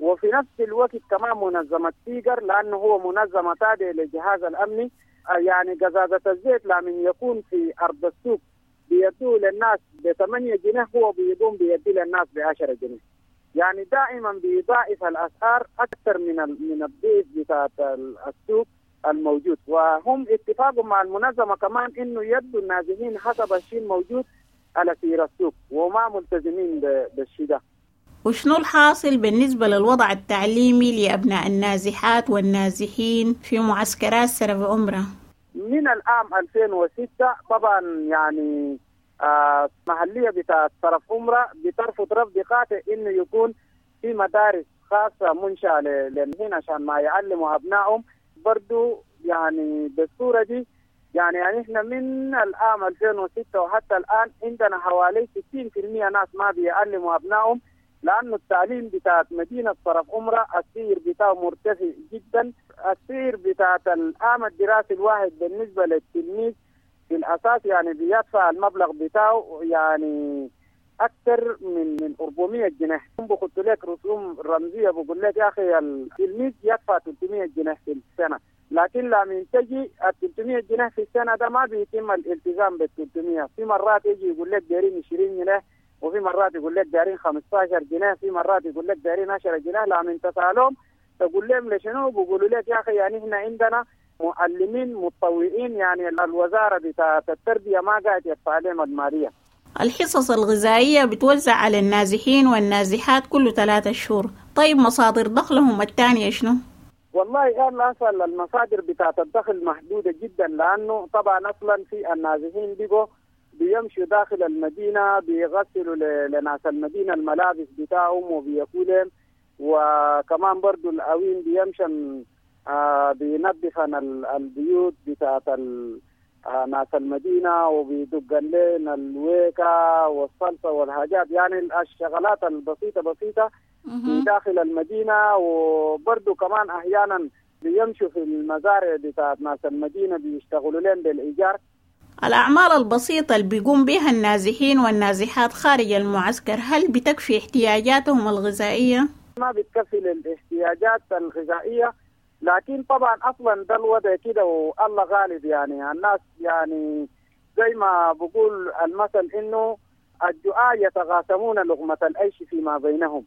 وفي نفس الوقت كمان منظمة سيجر، لأنه هو منظمة تابعة للجهاز الأمني، يعني قزازة الزيت لمن يكون في أرض السوق بيدوه للناس ب8 جنيه، هو بيقوم بيدي للناس ب10 جنيه. يعني دائما بيضاعف الأسعار أكثر من الضيف بتاعت السوق الموجود. وهم اتفاقوا مع المنظمة كمان إنه يدوا النازحين حسب الشيء الموجود على سير السوق، وما ملتزمين بالشيء ده. وشنو الحاصل بالنسبة للوضع التعليمي لأبناء النازحات والنازحين في معسكرات سرف عمرة؟ من العام 2006 طبعا يعني محلية بتاعت سرف عمرة بترفض رفض قاطع إنه يكون في مدارس خاصة منشأة للهنا عشان ما يعلموا أبنائهم. برضو يعني بالصورة دي يعني إحنا من العام 2006 وحتى الآن عندنا حوالي 60% ناس ما بيعلموا أبنائهم، لأنه التعليم بتاعت مدينة صرف عمرة السير بتاعه مرتفع جدا. السير بتاعت العام الدراسي الواحد بالنسبة للتلميذ في الأساس يعني بيدفع المبلغ بتاعه يعني أكثر من 400 جنيه. بخط لك رسوم رمزية، بقول لك يا أخي التلميذ يدفع 300 جنيه في السنة، لكن لما تجي ال 300 جنيه في السنة ده ما بيتم الالتزام بال 300. في مرات يجي يقول لك دايرين 20 جنيه، وفي مرات يقول لك دايرين 15 جنيه، في مرات يقول لك دايرين 10 جنيه. لما تسألهم تقول لهم لشنو، بيقولوا لك يا أخي يعني إحنا عندنا معلمين متطوعين، يعني الوزارة بتاعت التربية ما قاعد يدفع لهم المالية. الحصص الغذائية بتوزع على النازحين والنازحات كل 3 شهور، طيب مصادر دخلهم الثانية شنو؟ والله قال أصلا المصادر بتاعت الدخل محدودة جدا، لأنه طبعا أصلا في النازحين بيجوا بيمشوا داخل المدينة بيغسلوا لناس المدينة الملابس بتاعهم وبياكلهم، وكمان برضو الأوين بيمشن بينظفن البيوت بتاعت ناس المدينة وبيدقن لنا الويكة والصلصة والحاجات، يعني الشغلات البسيطة بسيطة في داخل المدينة. وبرضو كمان أحيانا بيمشوا في المزارع بتاعت ناس المدينة بيشتغلوا لهم بالإيجار. الأعمال البسيطة اللي بيقوم بها النازحين والنازحات خارج المعسكر هل بتكفي احتياجاتهم الغذائية؟ ما بتكفي للاحتياجات الغذائية، لكن طبعا أصلا ده الوضع كده والله غالب، يعني الناس يعني زي ما بقول المثل إنه الجوعى يتغاسمون لقمة العيش فيما بينهم،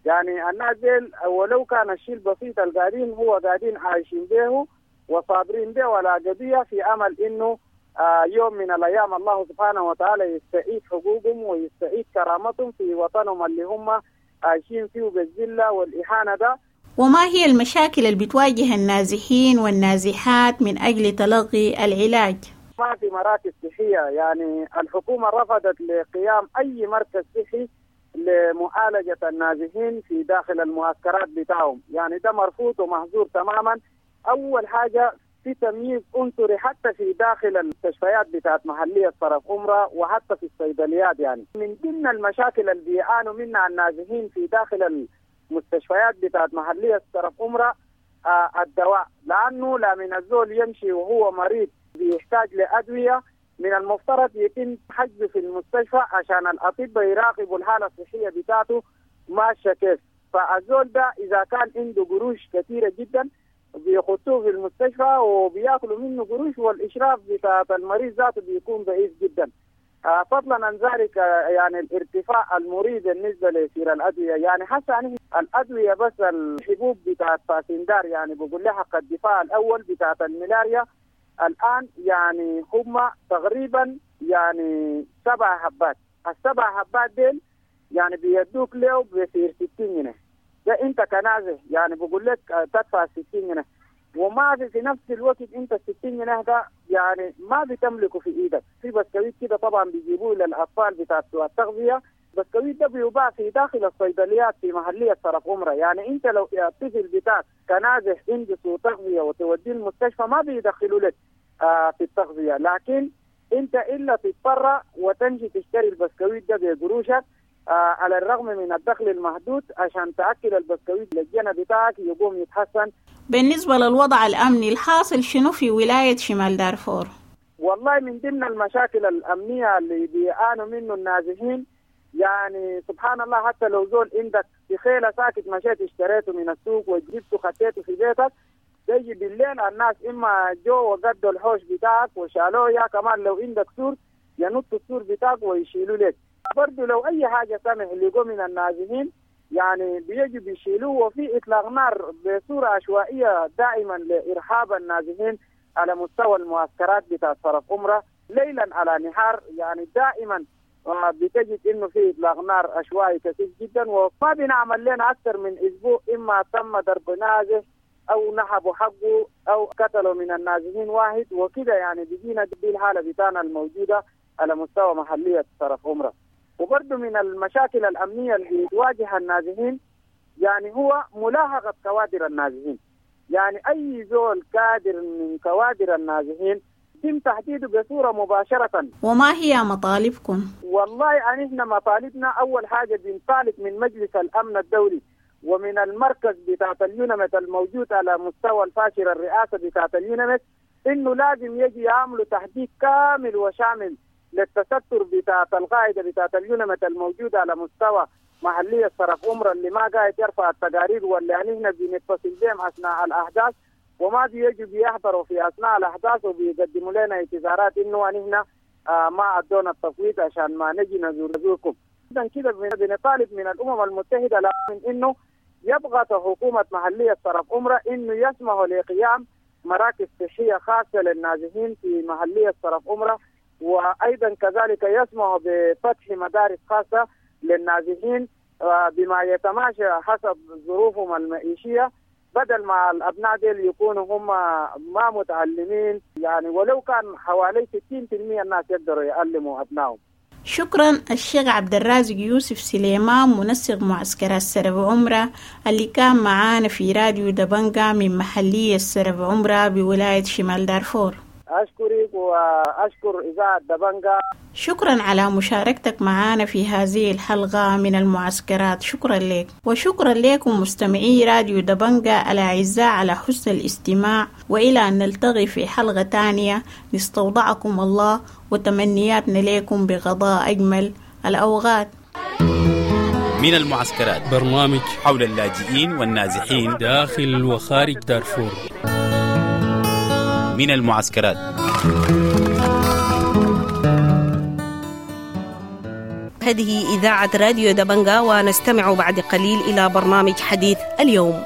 يعني الناس ديل ولو كان الشيء البسيط القاعدين هو قاعدين عايشين به وصابرين به ولا قضية، في أمل إنه يوم من الأيام الله سبحانه وتعالى يستعيد حقوقهم ويستعيد كرامتهم في وطنهم اللي هم عايشين فيه بالذلة والإهانة ده. وما هي المشاكل اللي بتواجه النازحين والنازحات من أجل تلقي العلاج؟ ما في مراكز صحية، يعني الحكومة رفضت لقيام أي مركز صحي لمعالجة النازحين في داخل المعسكرات بتاعهم، يعني ده مرفوض ومحظور تماما. أول حاجة في تمييز عنصري حتى في داخل المستشفيات بتاعت محلية صرف عمرة وحتى في الصيدليات. يعني من ضمن المشاكل اللي بيعانوا منها النازحين في داخل المستشفيات بتاعت محلية صرف عمرة الدواء، لأنه لا من الزول يمشي وهو مريض بيحتاج لأدوية، من المفترض يتم حجزه في المستشفى عشان الأطباء يراقبوا الحالة الصحية بتاعته ماشية كيف. فالزول ده إذا كان عنده قروش كثيرة جدا بيخطوه في المستشفى وبياكلوا منه قروش، والإشراف بتاع المريض ذاته بيكون ضعيف جدا. فضلا عن ذلك يعني الارتفاع المريض بالنسبة لسير الأدوية، يعني حتى يعني الأدوية بس الحبوب بتاعت فاسندار، يعني بقول لها حق الدفاع الأول بتاعت الملاريا الآن يعني هم تقريبا يعني 7 حبات، ال7 حبات ديل يعني بيدوك له بسير 60 جنيه. ده انت كنازح يعني بقول لك تدفع 60 جنيه، وما في نفس الوقت انت 60 جنيه ده يعني ما بتملكه في ايدك. في بسكويت كده طبعا بيجيبوه للاطفال بتاع التغذيه، بسكويت ده بيباع في داخل الصيدليات في محليه صرف عمره. يعني انت لو الطفل بتاعك كنازح عنده سوء تغذيه وتوديه المستشفى ما بيدخلوا لك في التغذيه، لكن انت الا تضطر وتمشي تشتري البسكويت ده بقروشك على الرغم من الدخل المحدود عشان تأكل البسكويت للجنة بتاعك يقوم يتحسن. بالنسبة للوضع الأمني الحاصل شنو في ولاية شمال دارفور؟ والله من ضمن المشاكل الأمنية اللي بيعانوا منه النازحين، يعني سبحان الله حتى لو زول عندك في خيلة ساكت مشيت اشتريته من السوق وجبته خطيته في بيتك، تيجي بالليل الناس إما جو وقدوا الحوش بتاعك وشالوه، يا كمان لو عندك سور ينطوا السور بتاعك ويشيلوا لك. برضو لو أي حاجة سمح اللي جو من النازحين يعني بيجي بيشيلوه، وفي إطلاق نار بصورة عشوائية دائما لإرهاب النازحين على مستوى المعسكرات بتاع صرف عمرة ليلا على نهار. يعني دائما بتجد إنه في إطلاق نار عشوائي كثير جدا، وما بنعمل لنا أكثر من أسبوع إما تم ضرب نازح أو نهبوا حقه أو قتلوا من النازحين واحد وكده. يعني بيجينا دي الحالة بتاعنا الموجودة على مستوى محلية صرف عمرة. وبرضه من المشاكل الأمنية اللي تواجه النازحين يعني هو ملاحقة كوادر النازحين. يعني أي زول كادر من كوادر النازحين يتم تحديده بصورة مباشرة. وما هي مطالبكم؟ والله يعني احنا مطالبنا أول حاجة بنطالب من مجلس الأمن الدولي ومن المركز بتاعت اليونمت الموجود على مستوى الفاشر الرئاسة بتاعت اليونمت إنه لازم يجي يعملوا تحديد كامل وشامل للتستر بتاعت القاعدة بتاعت اليونمت الموجودة على مستوى محلية صرف عمرة اللي ما قاعد يرفع التقارير واللي يعني احنا بنتصل بهم أثناء الأحداث وما بيجوا بيحضروا في أثناء الأحداث وبيقدموا لنا اعتذارات إنه نحن ما أدونا التفويض عشان ما نجي نزوركم. إذا كده بنطالب من الأمم المتحدة من إنه يبغى حكومة محلية صرف عمرة إنه يسمحوا لقيام مراكز صحية خاصة للنازحين في محلية صرف عمرة، وأيضا كذلك يسمح بفتح مدارس خاصة للنازحين بما يتماشى حسب ظروفهم المعيشية، بدل ما الأبناء ديل يكونوا هم ما متعلمين، يعني ولو كان حوالي 60% الناس يقدروا يعلموا أبنائهم. شكرا الشيخ عبد الرازق يوسف سليمان منسق معسكرات سرب عمرة اللي كان معانا في راديو دبنجا من محلية سرب عمرة بولاية شمال دارفور. أشكرك وأشكر إذاعة دبنجا. شكرا على مشاركتك معنا في هذه الحلقة من المعسكرات، شكرا لك. وشكرا لكم مستمعي راديو دبنجا الأعزاء على حسن الاستماع، وإلى أن نلتقي في حلقة تانية نستودعكم الله وتمنياتنا لكم بغضاء أجمل الأوقات. من المعسكرات برنامج حول اللاجئين والنازحين داخل وخارج دارفور. من المعسكرات. هذه إذاعة راديو دبنجا، ونستمع بعد قليل إلى برنامج حديث اليوم.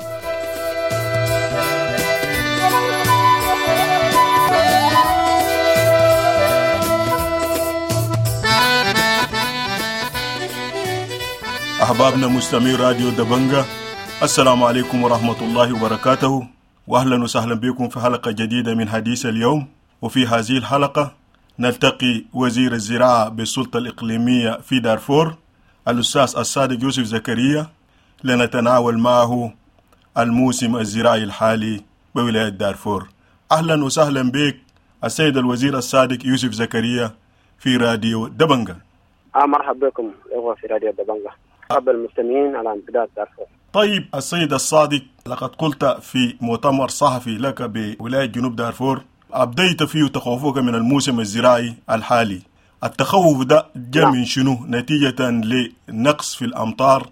أحبابنا مستمعي راديو دبنجة، السلام عليكم ورحمة الله وبركاته، وأهلا وسهلا بكم في حلقة جديدة من حديث اليوم. وفي هذه الحلقة نلتقي وزير الزراعة بالسلطة الإقليمية في دارفور الأستاذ الصادق يوسف زكريا لنتناول معه الموسم الزراعي الحالي بولاية دارفور. أهلا وسهلا بك السيد الوزير الصادق يوسف زكريا في راديو دبنجة. مرحبا بكم إخوة في راديو دبنجة، مرحبا المستمعين على امتداد دارفور. طيب السيد الصادق، لقد قلت في مؤتمر صحفي لك بولاية جنوب دارفور أبديت فيه تخوفك من الموسم الزراعي الحالي. التخوف ده جاء من شنو؟ نتيجة لنقص في الأمطار،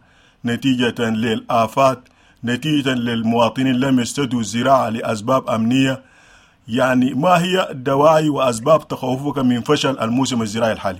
نتيجة للآفات، نتيجة للمواطنين لم يستدوا الزراعة لأسباب أمنية. يعني ما هي الدواعي وأسباب تخوفك من فشل الموسم الزراعي الحالي؟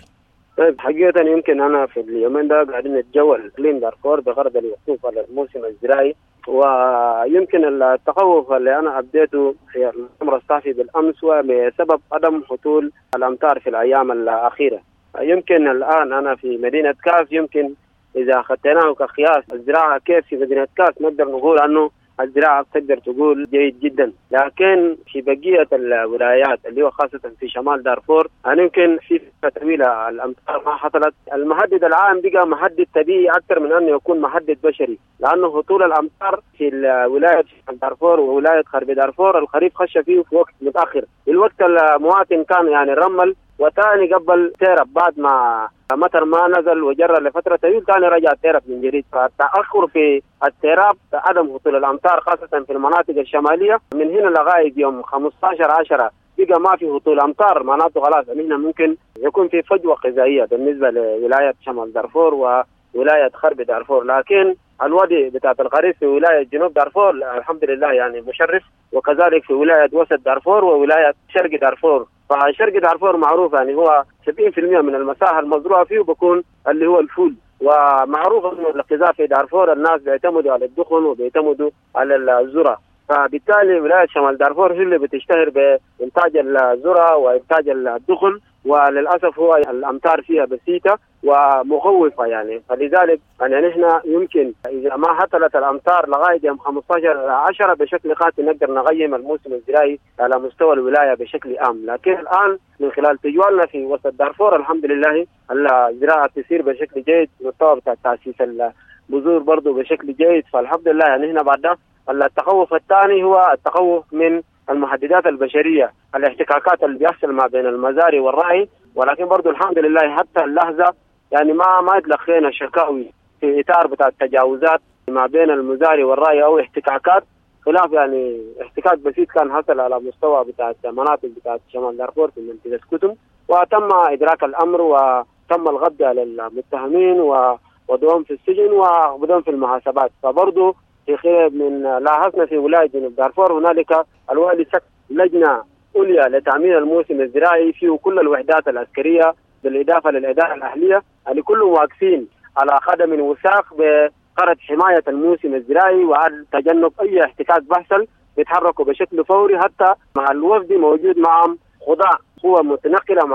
طيب حقيقة يمكن أنا في اليومين ده قاعدين نتجول إقليم دارفور بغرض الوقوف على الموسم الزراعي، ويمكن التخوف اللي أنا أبديته في المؤتمر الصحفي بالأمس هو بسبب عدم هطول الأمطار في الأيام الأخيرة. يمكن الآن أنا في مدينة كاس، يمكن إذا أخذناه كقياس الزراعة كيف في مدينة كاس نقدر نقول أنه الزراعة تقدر تقول جيد جدا، لكن في بقية الولايات اللي هو خاصة في شمال دارفور يمكن في فترة طويلة الأمطار ما حصلت. المهدد العام بقى مهدد طبيعي أكثر من أنه يكون مهدد بشري، لأنه هطول الأمطار في الولاية دارفور وولاية غرب دارفور الخريف خش فيه في وقت متأخر. الوقت المواطن كان يعني رمل وثاني قبل تيرب بعد ما مطر ما نزل وجرى لفترة طويلة ثاني رجع تيرب من جديد. فالتأخر في التيراب عدم هطول الأمطار خاصة في المناطق الشمالية من هنا لغاية يوم 15/10 بقى ما في هطول أمطار، معناته خلاص هنا ممكن يكون في فجوة غذائية بالنسبة لولاية شمال دارفور وولاية غرب دارفور. لكن الوادي بتاعت الخريف في ولاية جنوب دارفور الحمد لله يعني مشرف، وكذلك في ولاية وسط دارفور وولاية شرق دارفور. فشرق دارفور معروف يعني هو 70% من المساحة المزروعة فيه بيكون اللي هو الفول، ومعروف انه الغذاء في دارفور الناس بيعتمدوا على الدخن وبيعتمدوا على الذرة، فبالتالي ولاية شمال دارفور هي اللي بتشتهر بإنتاج الذرة وإنتاج الدخن، وللأسف هو الأمطار فيها بسيطة ومخوفة يعني. فلذلك يعني نحن يمكن إذا ما هطلت الأمطار لغاية يوم 15/10 بشكل قاطع نقدر نقيم الموسم الزراعي على مستوى الولاية بشكل عام. لكن الآن من خلال تجوالنا في وسط دارفور الحمد لله الزراعة تسير بشكل جيد، مستوى بتاع تأسيس البذور برضو بشكل جيد، فالحمد لله يعني هنا بعد التخوف الثاني هو التخوف من المهددات البشرية، الاحتكاكات اللي بيحصل ما بين المزارع والرعي. ولكن برضو الحمد لله حتى اللحظة يعني ما تلقينا شكاوي في إطار بتاع التجاوزات ما بين المزارع والرعي أو احتكاكات، خلاف يعني احتكاك بسيط كان حصل على مستوى بتاع مناطق بتاع شمال دارفور في منطقة كتم، وتم إدراك الأمر وتم القبض على المتهمين ووضعهم في السجن ووضعهم في المحاسبات. فبرضو في خلال من لاحظنا في ولاية جنوب دارفور هنالك الوالي شكل لجنة عليا لتأمين الموسم الزراعي فيه كل الوحدات العسكرية بالإضافة للإدارة الأهلية اللي كلهم واقفين على قدم وساق بغرض حماية الموسم الزراعي وعلى تجنب أي احتكاك بحصل، بيتحركوا بشكل فوري. حتى مع الوفد موجود معهم خضاع قوة متنقلة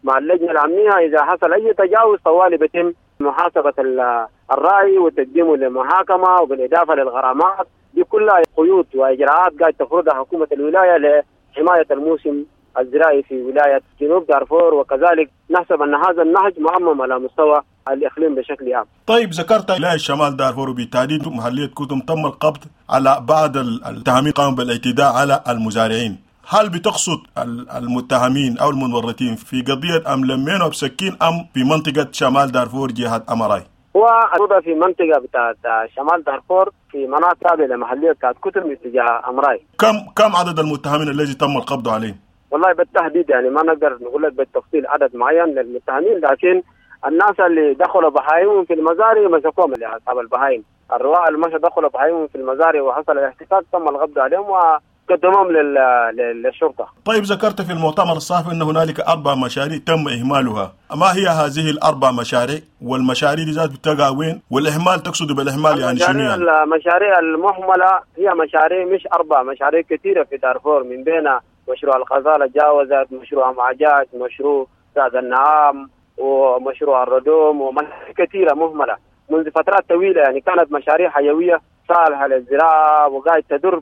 مع اللجنة الأمنية، إذا حصل أي تجاوز طوالي بيتم محاسبة الرأي وتقديمه للمحاكمة، وبالإضافة للغرامات. دي كلها قيود وإجراءات قاعد تفرضها حكومة الولاية لحماية الموسم الزراعي في ولاية جنوب دارفور، وكذلك نحسب أن هذا النهج معمم على مستوى الإقليم بشكل عام. طيب ذكرت ولاية شمال دارفور وبالتحديد محلية كتم تم القبض على بعض المتهمين قاموا بالاعتداء على المزارعين. هل بتقصد المتهمين أو المتورطين في قضية أم لمينو بسكين أم في منطقة شمال دارفور جهة أمراي؟ هو في منطقة بتاعت شمال دارفور في مناطق تابعة لمحلية بتاعت كتم اتجاه أمراي. كم عدد المتهمين الذي تم القبض عليهم؟ والله بالتحديد يعني ما نقدر نقول لك بالتفصيل عدد معين للمتهمين، لكن الناس اللي دخلوا بهايمهم في المزارع مسكوهم، اللي أصحاب البهايم الرواء اللي مشوا دخلوا بهايمهم في المزارع وحصل الاحتكاك تم القبض عليهم وقدموهم للشرطة. طيب ذكرت في المؤتمر الصحفي أن هنالك 4 مشاريع تم إهمالها، ما هي هذه ال4 مشاريع؟ والمشاريع دي ذات بتقع وين؟ والإهمال تقصد بالإهمال يعني شنو يعني؟ المشاريع المهملة هي مشاريع مش 4 مشاريع كثيرة في دارفور، من بينها مشروع الغزالة جاوزت، مشروع معجاج، مشروع سعد النعام، ومشروع الردوم، ومشاريع كثيرة مهملة. منذ فترات طويلة، يعني كانت مشاريع حيوية صالحه للزراعة وقاعد تدر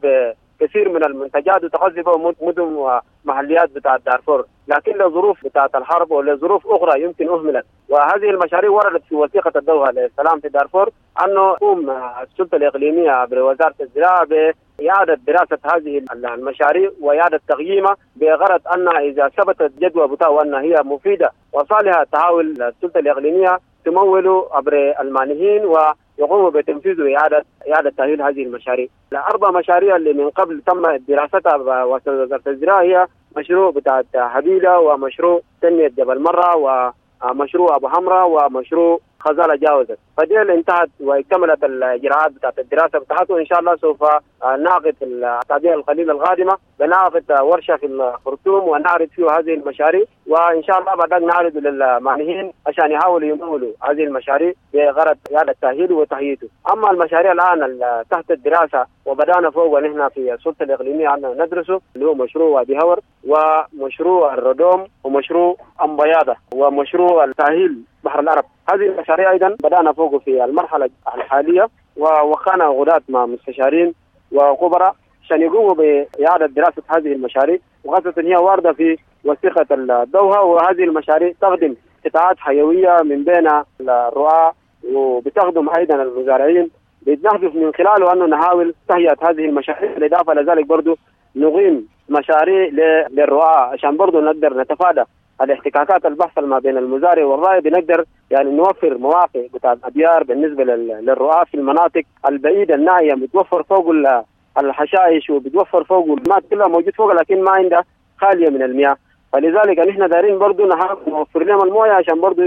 بكثير من المنتجات وتغذي بها مدن ومحليات بتاعت دارفور، لكن لظروف بتاعت الحرب ولظروف اخرى يمكن اهملت. وهذه المشاريع وردت في وثيقة الدوحة للسلام في دارفور انه تقوم السلطة الاقليمية عبر وزارة الزراعة بإعادة دراسة هذه المشاريع وإعادة تقييمها، بغرض أنها إذا ثبتت جدوى بتاعها أنها هي مفيدة وصالحة تحاول السلطة الإقليمية تمول عبر المانحين ويقوموا بتنفيذ وإعادة تأهيل هذه المشاريع. الأربع مشاريع اللي من قبل تم دراستها بوزارة الزراعة هي مشروع بتاع حبيلة، ومشروع تنمية جبل مرة، ومشروع أبو حمراء، ومشروع خزالة جاوزت. فدي انتهت واكتملت الإجراءات بتاعت الدراسة بتاعته، وإن شاء الله سوف نعقد في الأسابيع القليلة القادمة بنعقد ورشة في الخرطوم ونعرض فيه هذه المشاريع، وإن شاء الله بعد نعرض للمانحين عشان يحاولوا يمولوا هذه المشاريع بغرض إعادة تأهيله وتهيئته. أما المشاريع الآن تحت الدراسة وبدأنا فوق ونحن في السلطة الإقليمية عندنا ندرسه، اللي هو مشروع وادي هور، ومشروع الردوم، ومشروع أمبياضة، ومشروع التأهيل بحر العرب. هذه المشاريع أيضا بدأنا فوق في المرحلة الحالية، ووقعنا عقودات مع مستشارين وخبراء عشان يقوموا بإعادة دراسة هذه المشاريع، وخاصة هي واردة في وثيقة الدوحة. وهذه المشاريع تخدم قطاعات حيوية من بين الرعاة، وبتخدم أيضا المزارعين، بنهدف من خلاله أنه نحاول تهيئة هذه المشاريع. بالإضافة لذلك برضو نقيم مشاريع للرعاة عشان برضو نقدر نتفادى الاحتكاكات البحث ما بين المزارع والراعي، بنقدر يعني نوفر مواقع بتاع ابيار بالنسبة للرعاة في المناطق البعيدة النائية، بتوفر فوق الحشائش وبتوفر فوق الماء كلها موجود فوق، لكن ما عندها خالية من المياه. فلذلك نحن دارين برضو نحاول نوفر لهم المويه عشان برضو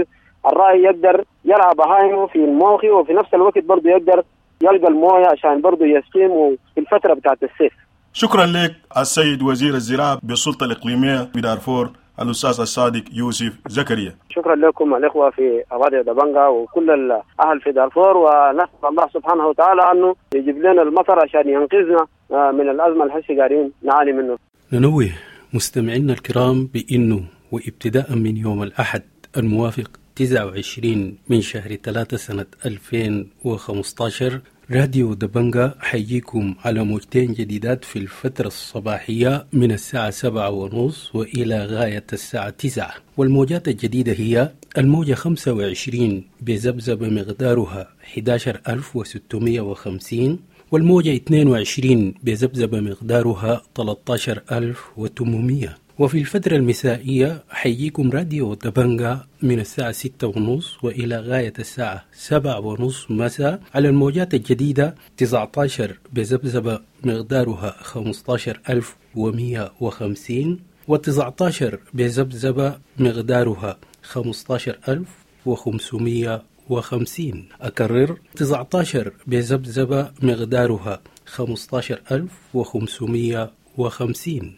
الراعي يقدر يرعى بهايمه في الموخي، وفي نفس الوقت برضو يقدر يلقى المويه عشان برضو يسقيمه في الفترة بتاعت الصيف. شكرا لك السيد وزير الزراعة بالسلطة الاقليمية بدارفور الأستاذ الصادق يوسف زكريا. شكرا لكم الإخوة في راديو دبنجا وكل الأهل في دارفور، ونسأل الله سبحانه وتعالى أنه يجيب لنا المطر عشان ينقذنا من الأزمة الحسي قاعدين نعاني منه. ننوه مستمعينا الكرام بأنه وابتداء من يوم الأحد الموافق 29 من شهر 3 سنة 2015 راديو دبنجا حييكم على موجتين جديدات في الفترة الصباحية من الساعة 7:30 وإلى غاية الساعة 9، والموجات الجديدة هي الموجة 25 بذبذبة مقدارها 11650، والموجة 22 بذبذبة مقدارها 13800. وفي الفترة المسائية حييكم راديو دبنجا من الساعة 6:30 وإلى غاية الساعة 7:30 مساء على الموجات الجديدة 19 بذبذبة مقدارها 15150، و19 بذبذبة مقدارها 15550. أكرر 19 بذبذبة مقدارها 15550.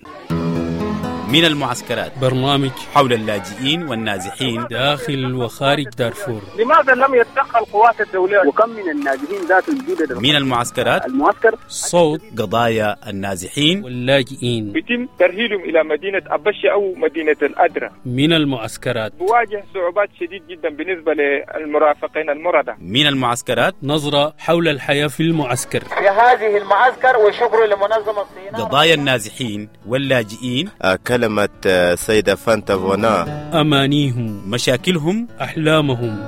من المعسكرات، برنامج حول اللاجئين والنازحين داخل وخارج دارفور. لماذا لم يتدخل القوات الدولية؟ وكم من النازحين ذات الجودة؟ من المعسكرات، المعسكر صوت قضايا النازحين واللاجئين، يتم ترحيلهم إلى مدينة أبشة أو مدينة الأدرة. من المعسكرات بواجه صعوبات شديد جدا بالنسبة للمرافقين المرضى. من المعسكرات، نظرة حول الحياة في المعسكر في هذه المعسكر، وشكر لمنظمة الصين. قضايا النازحين واللاجئين، كلمة سيدة فانتا فونا، أمانيهم، مشاكلهم، أحلامهم.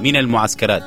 من المعسكرات.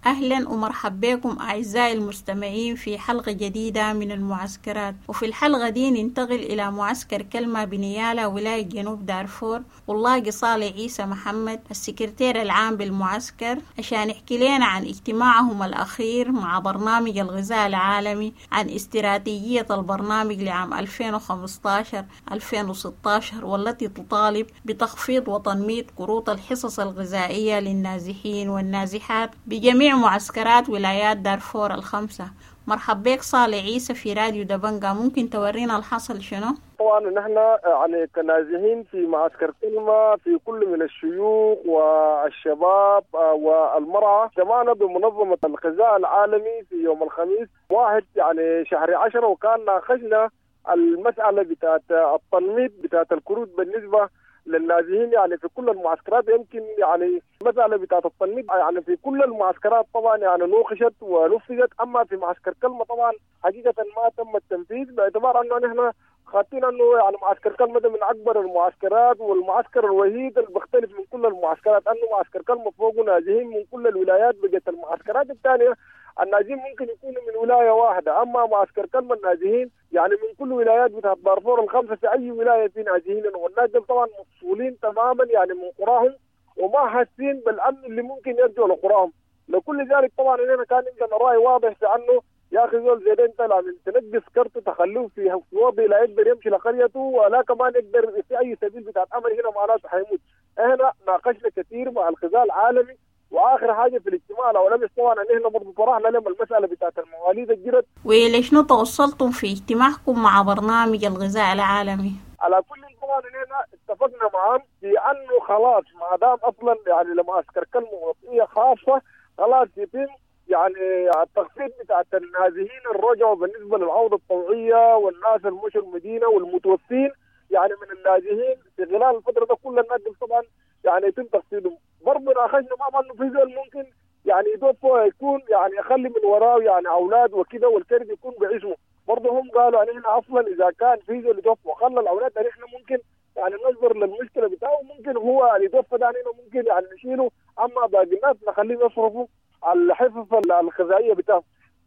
أهلا ومرحبا بكم أعزائي المستمعين في حلقة جديدة من المعسكرات. وفي الحلقة دي ننتقل إلى معسكر كلمة بنيالة ولاية جنوب دارفور، واللاقي صالح عيسى محمد السكرتير العام بالمعسكر عشان يحكي لنا عن اجتماعهم الأخير مع برنامج الغذاء العالمي، عن استراتيجية البرنامج لعام 2015-2016 والتي تطالب بتخفيض وتنميط كروت الحصص الغذائية للنازحين والنازحات بجميع معسكرات ولايات دارفور الخمسة. مرحب بك صالح عيسى في راديو دبنجا، ممكن تورينا الحصل شنو؟ طبعا نحن يعني كنازحين في معسكر كلمة في كل من الشيوخ والشباب والمرأة اجتمعنا بمنظمة الغذاء العالمي في يوم الخميس 1 يعني شهر 10، وكان ناقشنا المسألة بتاعت التنميط بتاعت الكروت بالنسبة للنازحين يعني في كل المعسكرات. يمكن يعني المسالة بتاعت التنميط يعني في كل المعسكرات طبعا يعني نوقشت ونفذت، اما في معسكر كلمة طبعا حقيقة ما تم التنفيذ، باعتبار انه نحن خاطين انه يعني معسكر كلمة ده من اكبر المعسكرات والمعسكر الوحيد اللي بيختلف من كل المعسكرات، انه معسكر كلمة فوقه نازحين من كل الولايات. بقت المعسكرات الثانية النازحين ممكن يكونوا من ولاية واحدة، اما معسكر كلمة النازحين يعني من كل ولايات بتاعت دارفور الخمسة في اي ولاية في نازحين، والناس دول طبعا مفصولين تماما يعني من قراهم وما حاسين بالامن اللي ممكن يرجعوا لقراهم. لكل ذلك طبعا هنا كان عندنا راي واضح في انه يا اخي زول زي ده انت لازم تنقص كرته تخلوه في وضع لا يقدر يمشي لقريته ولا كمان يقدر في اي سبيل بتاعت امر، هنا معناته حيموت. احنا ناقشنا كثير مع الغذاء العالمي، واخر حاجة في الاجتماع الاولاني طبعا ان احنا برضه طرحنا لهم المسالة بتاعت المواليد الجدد. ولشنو توصلتم في اجتماعكم مع برنامج الغذاء العالمي؟ على كل طبعا هنا اتفقنا معهم في انه خلاص ما دام اصلا يعني لمعسكر كلمة وطنية خاصة خلاص يتم يعني التخفيض بتاعت النازحين الرجعوا بالنسبة للعودة الطوعيه والناس المشوا المدينة والمتوفين يعني من النازحين في خلال الفترة ده كل الناس طبعا يعني يتم تخفيضهم. برضه ناقشنا معهم انه في زول ممكن يعني يتوفى يكون يعني يخلي من وراه يعني اولاد وكده والكرد يكون باسمه، برضه هم قالوا يعني احنا اصلا اذا كان في زول يتوفى وخلى الاولاد يعني احنا ممكن يعني ننظر للمشكلة بتاعه، ممكن هو اللي يتوفى ده يعني ممكن يعني نشيله، اما باقي الناس نخليهم يصرفوا الحفظ الغذائية بتاعهم.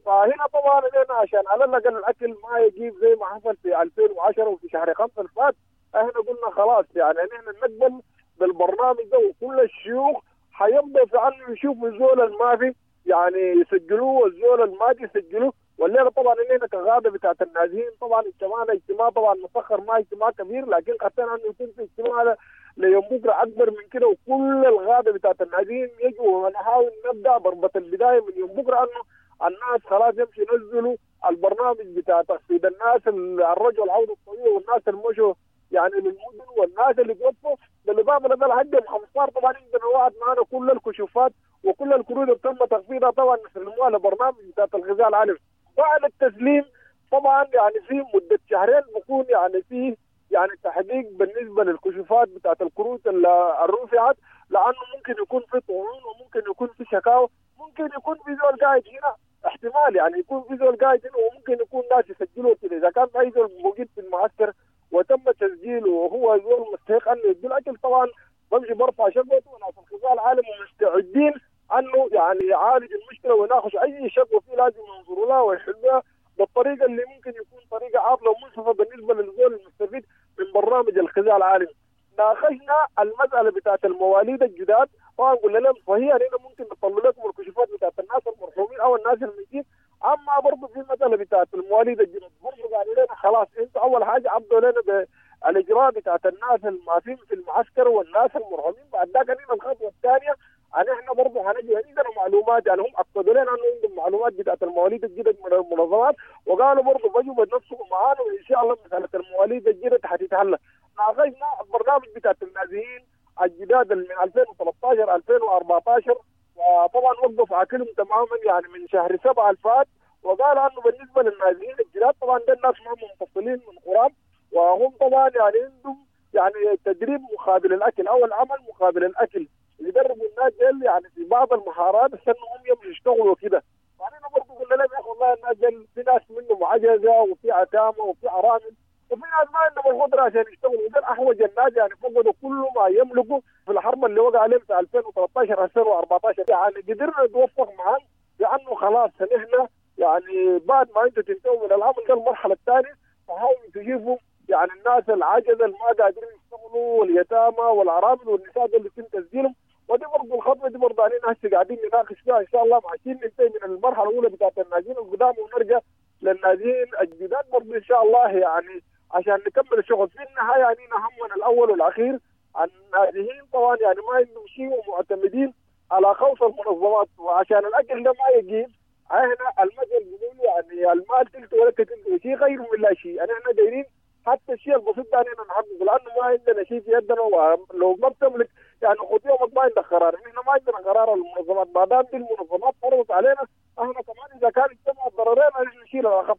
فهنا طبعا هنا عشان على الاقل الاكل ما يجيب زي ما حصل في 2010 وفي شهر 5 الفات، احنا قلنا خلاص يعني نحن نقبل بالبرنامج ده، وكل الشيوخ حيبدا في عنه يشوفوا الزول المافي يعني يسجلوه والزول المادي يسجلوه. والليلة طبعا اننا كغاده بتاعت النازحين طبعا اجتماعنا اجتماع طبعا مسخر ما اجتماع كبير، لكن خطينا انه يكون في اجتماع ليوم بكره اكبر من كده، وكل الغاده بتاعت النازحين يجوا ونحاول نبدا ضربه البداية من يوم بكره انه الناس خلاص يمشي ينزلوا البرنامج بتاع تخفيض الناس الرجل العودة الطويلة والناس المشوا يعني للمدن والناس اللي توفوا. بالاضافة لده لحد يوم 15 طبعا عندنا وعد معنا كل الكشوفات وكل الكروت اللي تم تخفيضها طبعا نسلموها لبرنامج بتاع الغذاء العالمي. بعد التسليم طبعا يعني في مده شهرين بكون يعني في يعني تحقيق بالنسبة للكشوفات بتاعت الكروت اللي رفعت، لانه ممكن يكون في طعون وممكن يكون في شكاوى، ممكن يكون في زول قاعد هنا احتمال يعني يكون في زول قاعد هنا وممكن يكون ناس يسجلوا كده. اذا كان في زول موجود في المعسكر وتم تسجيله وهو زول مستحق انه يدي الاكل طبعا بمشي برفع شكوته، وناس الغذاء العالمي مستعدين انه يعني يعالج المشكلة ويناقش اي شكوى فيه لازم ينظروا لها ويحلوها بالطريقة اللي ممكن يكون طريقه عادلة ومنصفه بالنسبة للزول المستفيد من برنامج الغذاء العالمي. ناقشنا المسالة بتاعت المواليد الجداد، طبعا قلنا لهم صحيح هنا ممكن نطلع لكم الكشوفات بتاعت الناس المرحومين او الناس الميتين، اما برضه في المسالة بتاعت المواليد الجداد برضه قالوا لنا خلاص انتوا اول حاجة عبدوا لنا بالاجراء بتاعت الناس المافين في المعسكر والناس المرحومين، بعد ذاك علينا الخطوة الثانية ان احنا برضه هنجي عندنا معلومات، يعني هم اكدوا لنا انه عندهم معلومات بتاعت المواليد الجدد من المنظمات، وقالوا برضه بيجوا بنفسهم معانا وان شاء الله مسالة المواليد الجدد حتتحل. ناقشنا البرنامج بتاعت النازحين الجداد من 2013 2014، وطبعا وقف عاكلهم تماما يعني من شهر 7 الفات، وقال انه بالنسبة للنازحين الجداد طبعا ده الناس ما منفصلين من قرام، وهم طبعا يعني عندهم يعني تدريب مقابل الاكل او العمل مقابل الاكل، يدربوا الناس ديل يعني في بعض المهارات عشان هم يمشوا يشتغلوا وكده. بعدين برضه قلنا لهم يا اخي والله الناس ديل في ناس منهم عجزه وفي عتامه وفي ارامل وفي ناس ما عندهم القدرة عشان يشتغلوا، ودول احوج الناس يعني فقدوا كل ما يملكوا في الحرب اللي وقع عليهم في 2013 2014. يعني قدرنا نتوفق معهم لانه خلاص نحن يعني بعد ما انتم تنتهوا من العمل ده المرحلة الثانية فحاولوا تجيبوا يعني الناس العجزة اللي ما قادرين يشتغلوا واليتامى والارامل والنساء دول اللي يتم تسجيلهم. ودي برضه الخطوة دي برضه علينا هسه قاعدين نناقش فيها ان شاء الله عشان ننتهي من المرحلة الاولى بتاعت النازحين القدام ونرجع للنازحين الجداد برضه ان شاء الله يعني عشان نكمل الشغل. في النهاية يعني همنا الاول والاخير النازحين طبعا يعني ما عندهم شيء ومعتمدين على خوف المنظمات، وعشان الاكل ده ما يجيب احنا المثل بيقول يعني المال تلت ولا تلت شيء غير من لا شيء، يعني احنا دايرين حتى الشيء البسيط ده احنا نحققه لانه ما عندنا شيء في يدنا، ولو ما بتملك يعني خد يومك ما عندك قرار، احنا ما عندنا قرار المنظمات، ما دام دي المنظمات فرضت علينا احنا كمان اذا كان اجتمع الضررين احنا نشيل الاخف،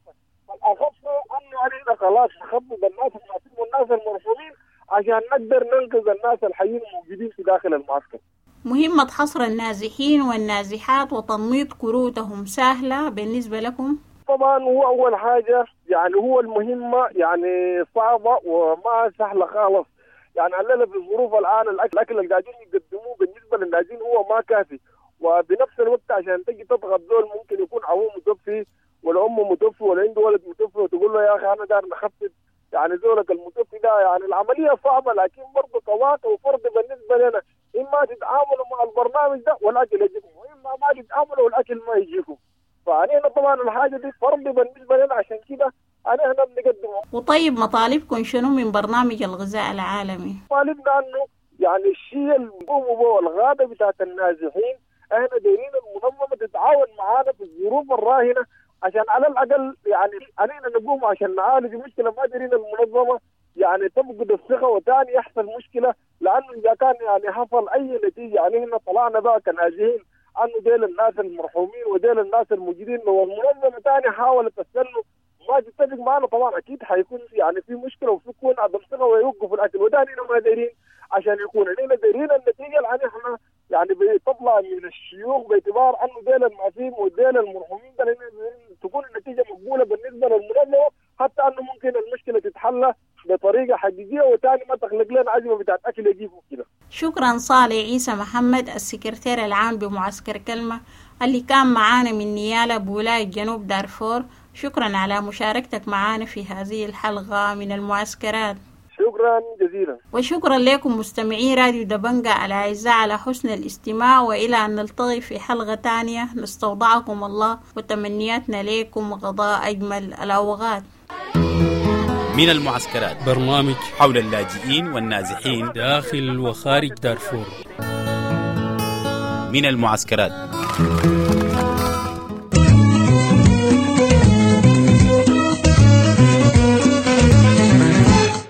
فالاخف انه علينا خلاص نخفض الناس المعصوم والناس المرحومين. عشان نقدر ننقذ الناس الحيين الموجودين في داخل المعسكر. مهمة حصر النازحين والنازحات وتنميط كروتهم سهلة بالنسبة لكم؟ طبعا هو أول حاجة يعني هو المهمة يعني صعبة وما سهلة خالص. يعني علينا في الظروف الآن الأكل اللي قاعدين يقدموه بالنسبة للنازحين هو ما كافي، وبنفس الوقت عشان تجي تضغط زول ممكن يكون أبوه متوفي ولا أمه متوفي ولا عنده ولد متوفي وتقول له يا أخي أنا دار نخفف يعني زولك المتوفي ده، يعني العملية صعبة، لكن برضه كواقع وفرض بالنسبة لنا إما تتعاملوا مع البرنامج ده والأكل يجيكم، وإما ما تتعاملوا والأكل ما يجيكم. فأنا طبعا الحاجة دي فرض بالنسبة لنا، عشان كده أنا هنا بنقدمه. وطيب مطالبكم شنو من برنامج الغذاء العالمي؟ مطالبنا أنه يعني الشيء اللي بيقوموا به الغابة بتاعت النازحين، احنا دايرين المنظمة تتعاون معانا في الظروف الراهنة عشان على الأقل يعني علينا نقوم عشان نعالج المشكلة. ما دايرين المنظمة يعني تفقد الثقة وتاني يحصل مشكلة، لأنه إذا كان يعني حصل أي نتيجة يعني احنا طلعنا بقى كنازحين أنه ديل الناس المرحومين وديل الناس الموجودين، لو المنظمة تاني حاولت تستنوا ما تتفق معنا طبعا اكيد حيكون يعني في مشكلة وفي يكون عدم ثقة ويوقفوا الاكل، وده ما دايرين عشان يكون علينا دايرين النتيجة اللي احنا يعني بتطلع من الشيوخ باعتبار انه ديل المعفين وديل المرحومين ده تكون النتيجة مقبولة بالنسبة للمنظمة، حتى انه ممكن المشكلة تتحل بطريقة حقيقية وتاني ما تخلق لنا ازمة بتاعت اكل يجيبوا كده. شكرا صالح عيسى محمد السكرتير العام بمعسكر كلمة اللي كان معانا من نيالا بولاية جنوب دارفور، شكرا على مشاركتك معنا في هذه الحلقة من المعسكرات. شكرا جزيلا. وشكرا لكم مستمعي راديو دبنجة الأعزاء على حسن الاستماع، وإلى أن نلتقي في حلقة تانية نستودعكم الله وتمنياتنا لكم غضاء أجمل الأوقات. من المعسكرات، برنامج حول اللاجئين والنازحين داخل وخارج دارفور. من المعسكرات.